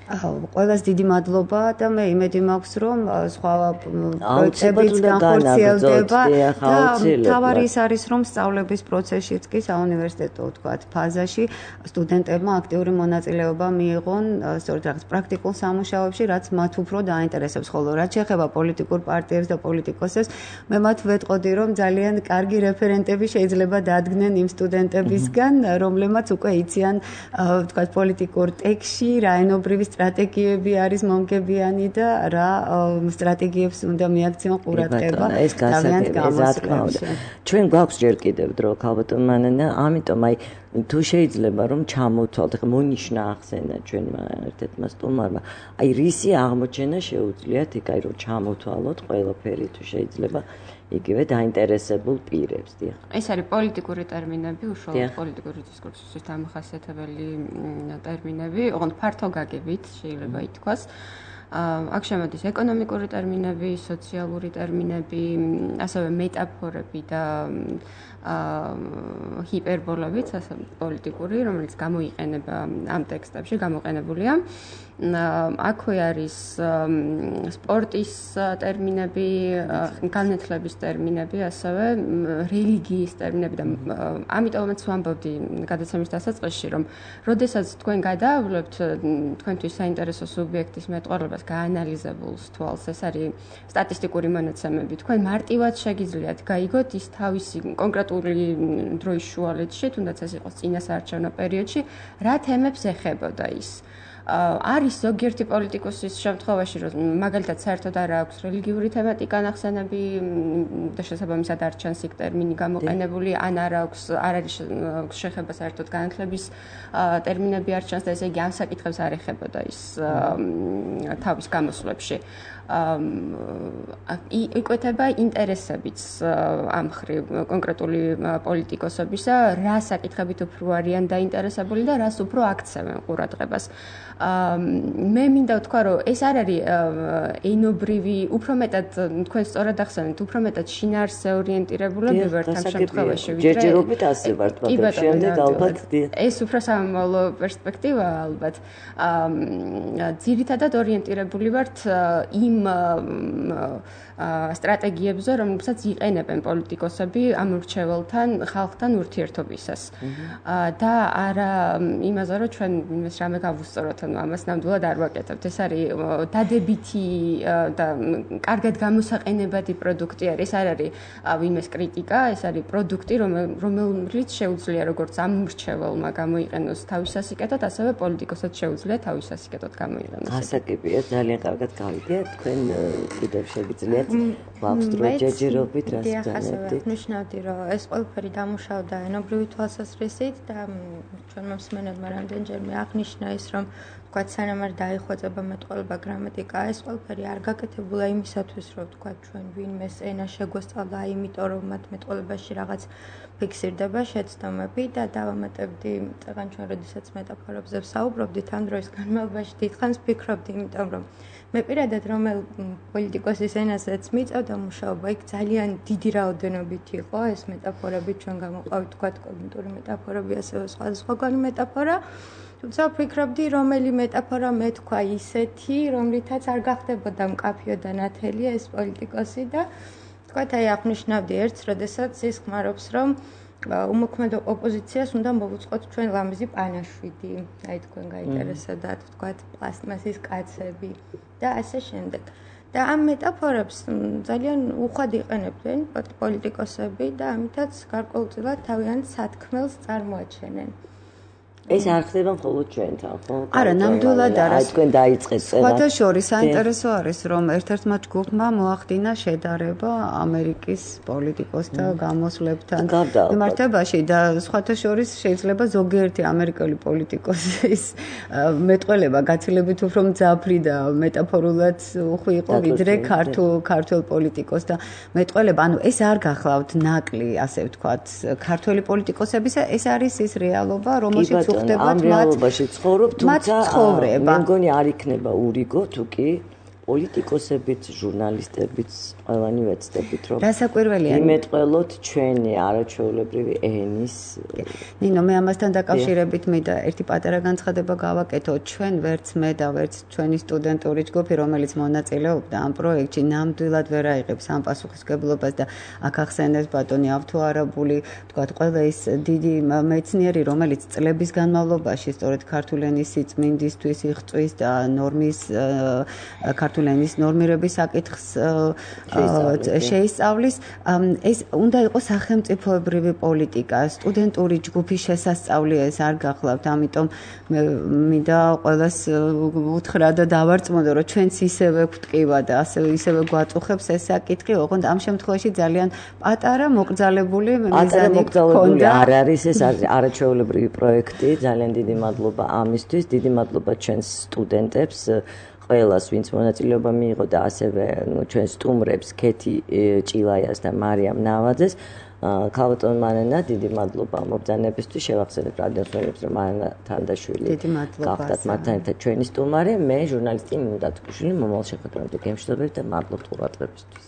ყველას დიდი მადლობა და მე იმედი მაქვს რომ სხვა პროექტებიც განხორციელდება და თავარი ის არის რომ სწავლების პროცესშიც კი საუნივერსიტეტო ვთქვათ ფაზაში სტუდენტებმა აქტიური მონაწილეობა მიიღონ სწორედ რაღაც პრაქტიკულ სამუშაოებში რაც მათ უფრო დაინტერესებს ხოლო რაც შეეხება პოლიტიკურ პარტიებს და პოლიტიკოსებს მე მათ ვეტყოდი რომ ძალიან კარგი რეფერენტები შეიძლება დადგნენ იმ სტუდენტებისგან რომლებმაც უკვე იციან ვთქვათ პოლიტიკურ ტექსტში რა ენობრივი სტრატეგიები არის მომგებიანი და რა სტრატეგიებს უნდა მიაქციონ ყურადღება თავიანთ გამოსვლებში. ჩვენ გვაქვს ჯერ კიდევ დრო ქალბატონ მანანა, ამიტომ აი თუ შეიძლება რომ ჩამოვთვალთ, ხა მონიშნა ახსენა ჩვენმა ერთ-ერთმა სტუმარმა, აი რისი აღმოჩენა შეუძლიათ იქ აი რომ ჩამოვთვალოთ ყველაფერი თუ შეიძლება იგივე დაინტერესებულ პირებს, დიახ. ეს არის პოლიტიკური ტერმინები, უშუალოდ პოლიტიკური დისკურსისთვის დამახასიათებელი ტერმინები, ოღონდ ფართო გაგებით შეიძლება ითქვას. აქ შემოდის ეკონომიკური ტერმინები, სოციალური ტერმინები, ასევე მეტაფორები და ჰიპერბოლებიც, ასე პოლიტიკური, რომელიც გამოიყენება ამ ტექსტებში, გამოყენებულია. აქვე არის სპორტის ტერმინები, განათლების ტერმინები, ასევე რელიგიის ტერმინები და ამიტომაც ვამბობდი გადაცემის დასაწყისში, რომ როდესაც თქვენ გადაავლებთ თქვენთვის საინტერესო სუბიექტის მეტყველებას გაანალიზებულს თვალს, ეს არის სტატისტიკური მონაცემები, თქვენ მარტივად შეგიძლიათ გაიგოთ ის თავისი კონკრეტული დროის შუალედში, თუნდაც ეს იყოს წინა საარჩევნო პერიოდში, რა თემებს ეხებოდა ის. არის ზოგიერთი პოლიტიკოსის შემთხვევაში, რომ მაგალითად საერთოდ არ აქვს რელიგიური თემატიკა ნახსენები და შესაბამისად არ ჩანს იქ ტერმინი გამოყენებული, ან არ აქვს არ არის შეხება საერთოდ განათლების ტერმინები არ ჩანს და ესე იგი ამ საკითხებს არ ეხებოდა ის თავის გამოსვლებში. იკვეთება ინტერესებიც ამ მხრივ კონკრეტული პოლიტიკოსებისა, რა საკითხებით უფრო არიან დაინტერესებული და რას უფრო აქცევენ ყურადღებას. მე მინდა ვთქვა, რომ ეს არ არის ენობრივი, უფრო მეტად თქვენ სწორად ახსენეთ, უფრო მეტად შინაარსზე ორიენტირებულები ვართ ამ შემთხვევაში, ვიდრე ჯერჯერობით ასე ვართ, მაგრამ შემდეგ ალბათ ეს უფრო სამომავლო პერსპექტივაა ალბათ. ძირითადად ორიენტირებული ვართ იმ სტრატეგიებზე, რომლებსაც იყენებენ პოლიტიკოსები ამ ურჩეველთან, ხალხთან ურთიერთობისას. და არა იმაზე, რომ ჩვენ იმას რამე გავუსწოროთ, ანუ ამას ნამდვილად არ ვაკეთებთ. ეს არის დადებითი და კარგად გამოსაყენებადი პროდუქტი არის. ეს არ არის ვინმეს კრიტიკა, ეს არის პროდუქტი, რომელიც შეუძლია როგორც ამ ურჩეველმა გამოიყენოს თავის სასიკეთოდ, ასევე პოლიტიკოსაც შეუძლია თავის სასიკეთოდ გამოიყენოს. გასაგებია, ძალიან კარგად გავიგეთ, თქვენ კიდევ შეგიძლიათ გვაქვს დრო ჯერჯერობით რას განვდით. ნიშნავდი, რომ ეს ყველაფერი დამუშავდა ენობრივი თვალსაზრისით და ჩვენ მომსმენელმა რამდენჯერმე აღნიშნა ის, რომ თქვა სანამ არ დაიხვეწება მეტყველება გრამატიკა, ეს ყველაფერი არ გაკეთებულა იმისათვის, რომ თქვა ჩვენ ვინმეს ენა შეგვესწავლა, იმიტომ რომ მათ მეტყველებაში რაღაც ფიქსირდება შეცდომები და დავამატებდი, წეგან ჩვენ როდესაც მეტაფორებზე ვსაუბრობდით, ამ დროის განმავლობაში დიდხანს ვფიქრობდი, იმიტომ რომ მე პირადად რომელ პოლიტიკოსის ენასაც მიწევდა მუშაობა, იქ ძალიან დიდი რაოდენობით იყო ეს მეტაფორები, ჩვენ გამოყავით თქვა კოგნიტური მეტაფორები, ასევე სხვადასხვაგვარი მეტაფორა. თუმცა ვფიქრობდი, რომელი მეტაფორა მე თქვა ისეთი, რომლითაც არ გახდებოდა მკაფიო და ნათელია ეს პოლიტიკოსი და თქვათ აი აღნიშნავდი ერთს, როდესაც ის ხმარობს, რომ უმოქმედო ოპოზიციას უნდა მოვუწყოთ ჩვენ ლამაზი პანაშვიდი, აი თქვენ გაინტერესებდათ, თქვათ პლასტმასის კაცები და ასე შემდეგ. და ამ მეტაფორებს ძალიან უხვად იყენებდნენ პოლიტიკოსები და ამითაც გარკვეულწილად თავიანთ სათქმელს წარმოაჩენენ. ეს არ ხდება მხოლოდ ჩვენთან, ხო? არა, ნამდვილად არა. აი თქვენ დაიწყეთ წერა. სხვათა შორის საინტერესო არის, რომ ერთ-ერთმა ჯგუფმა მოახდინა შედარება ამერიკის პოლიტიკოსთა გამოსვლებთან მიმართებაში და სხვათა შორის შეიძლება ზოგიერთი ამერიკელი პოლიტიკოსის მეტყველება გაცილებით უფრო მძაფრი და მეტაფორულად უხვი იყო ვიდრე ქართულ ქართულ პოლიტიკოს და მეტყველება, ანუ ეს არ გახლავთ ნაკლი, ასე ვთქვათ, ქართველი პოლიტიკოსებისა, ეს არის ის რეალობა, რომელშიც ამ რეალობაში ცხოვრობ, თუმცა მე მგონი არ იქნება ურიგო თუ კი პოლიტიკოსებიც, ჟურნალისტებიც, ყველანი ვეცდებით, რომ რასაკვირველია იმეტყველოთ ჩვენი არაჩვეულებრივი ენის. ნინო, მე ამასთან დაკავშირებით მინდა ერთი პატარა განცხადება გავაკეთო. ჩვენ ვერც მე და ვერც ჩვენი სტუდენტური ჯგუფი, რომელიც მონაწილეობდა ამ პროექტში, ნამდვილად ვერ აიღებს ამ პასუხისმგებლობას და აქ ახსენეს ბატონი ავთოარაბული, თქვათ, ყველა ის დიდი მეცნიერი, რომელიც წლების განმავლობაში სწორედ ქართული ენის სიწმინდისთვის იღწვის და ნორმის ქართული ენის ნორმირების საკითხს შეისწავლის, ეს უნდა იყოს სახელმწიფოებრივი პოლიტიკა, სტუდენტური ჯგუფის შესასწავლი ეს არ გახლავთ, ამიტომ მე მინდა ყველას უთხრა და დავარწმუნო, რომ ჩვენც ისევე გვტკივა და ასევე ისევე გვაწუხებს ეს საკითხი, ოღონდ ამ შემთხვევაში ძალიან პატარა მოკრძალებული მიზანი გქონდა. არ არის ეს არაჩვეულებრივი პროექტი, ძალიან დიდი მადლობა ამისთვის, დიდი მადლობა ჩვენს სტუდენტებს. ყველას, ვინც მონაწილეობა მიიღო და ასევე ჩვენ სტუმრებს, ქეთი ჭილაიას და მარიამ ნავაძეს, ქალბატონ მარინა, დიდი მადლობა მობრძანებისთვის. შევახსენებ რადიოს მსმენელებს, რომ მარინა თანდაშვილი გახდათ მათთან ერთად ჩვენი სტუმარი, მე ჟურნალისტი ნინო დათუკვიშვილი, მომავალ შეხვედრამდე გემშვიდობებით და მადლობთ ყურადღებისთვის.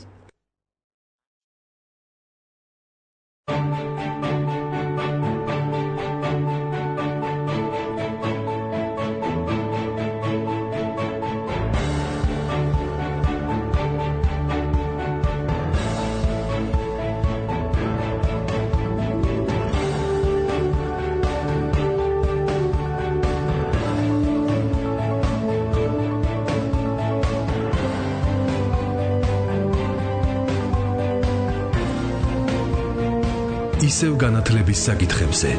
ისევ განათლების საკითხებზე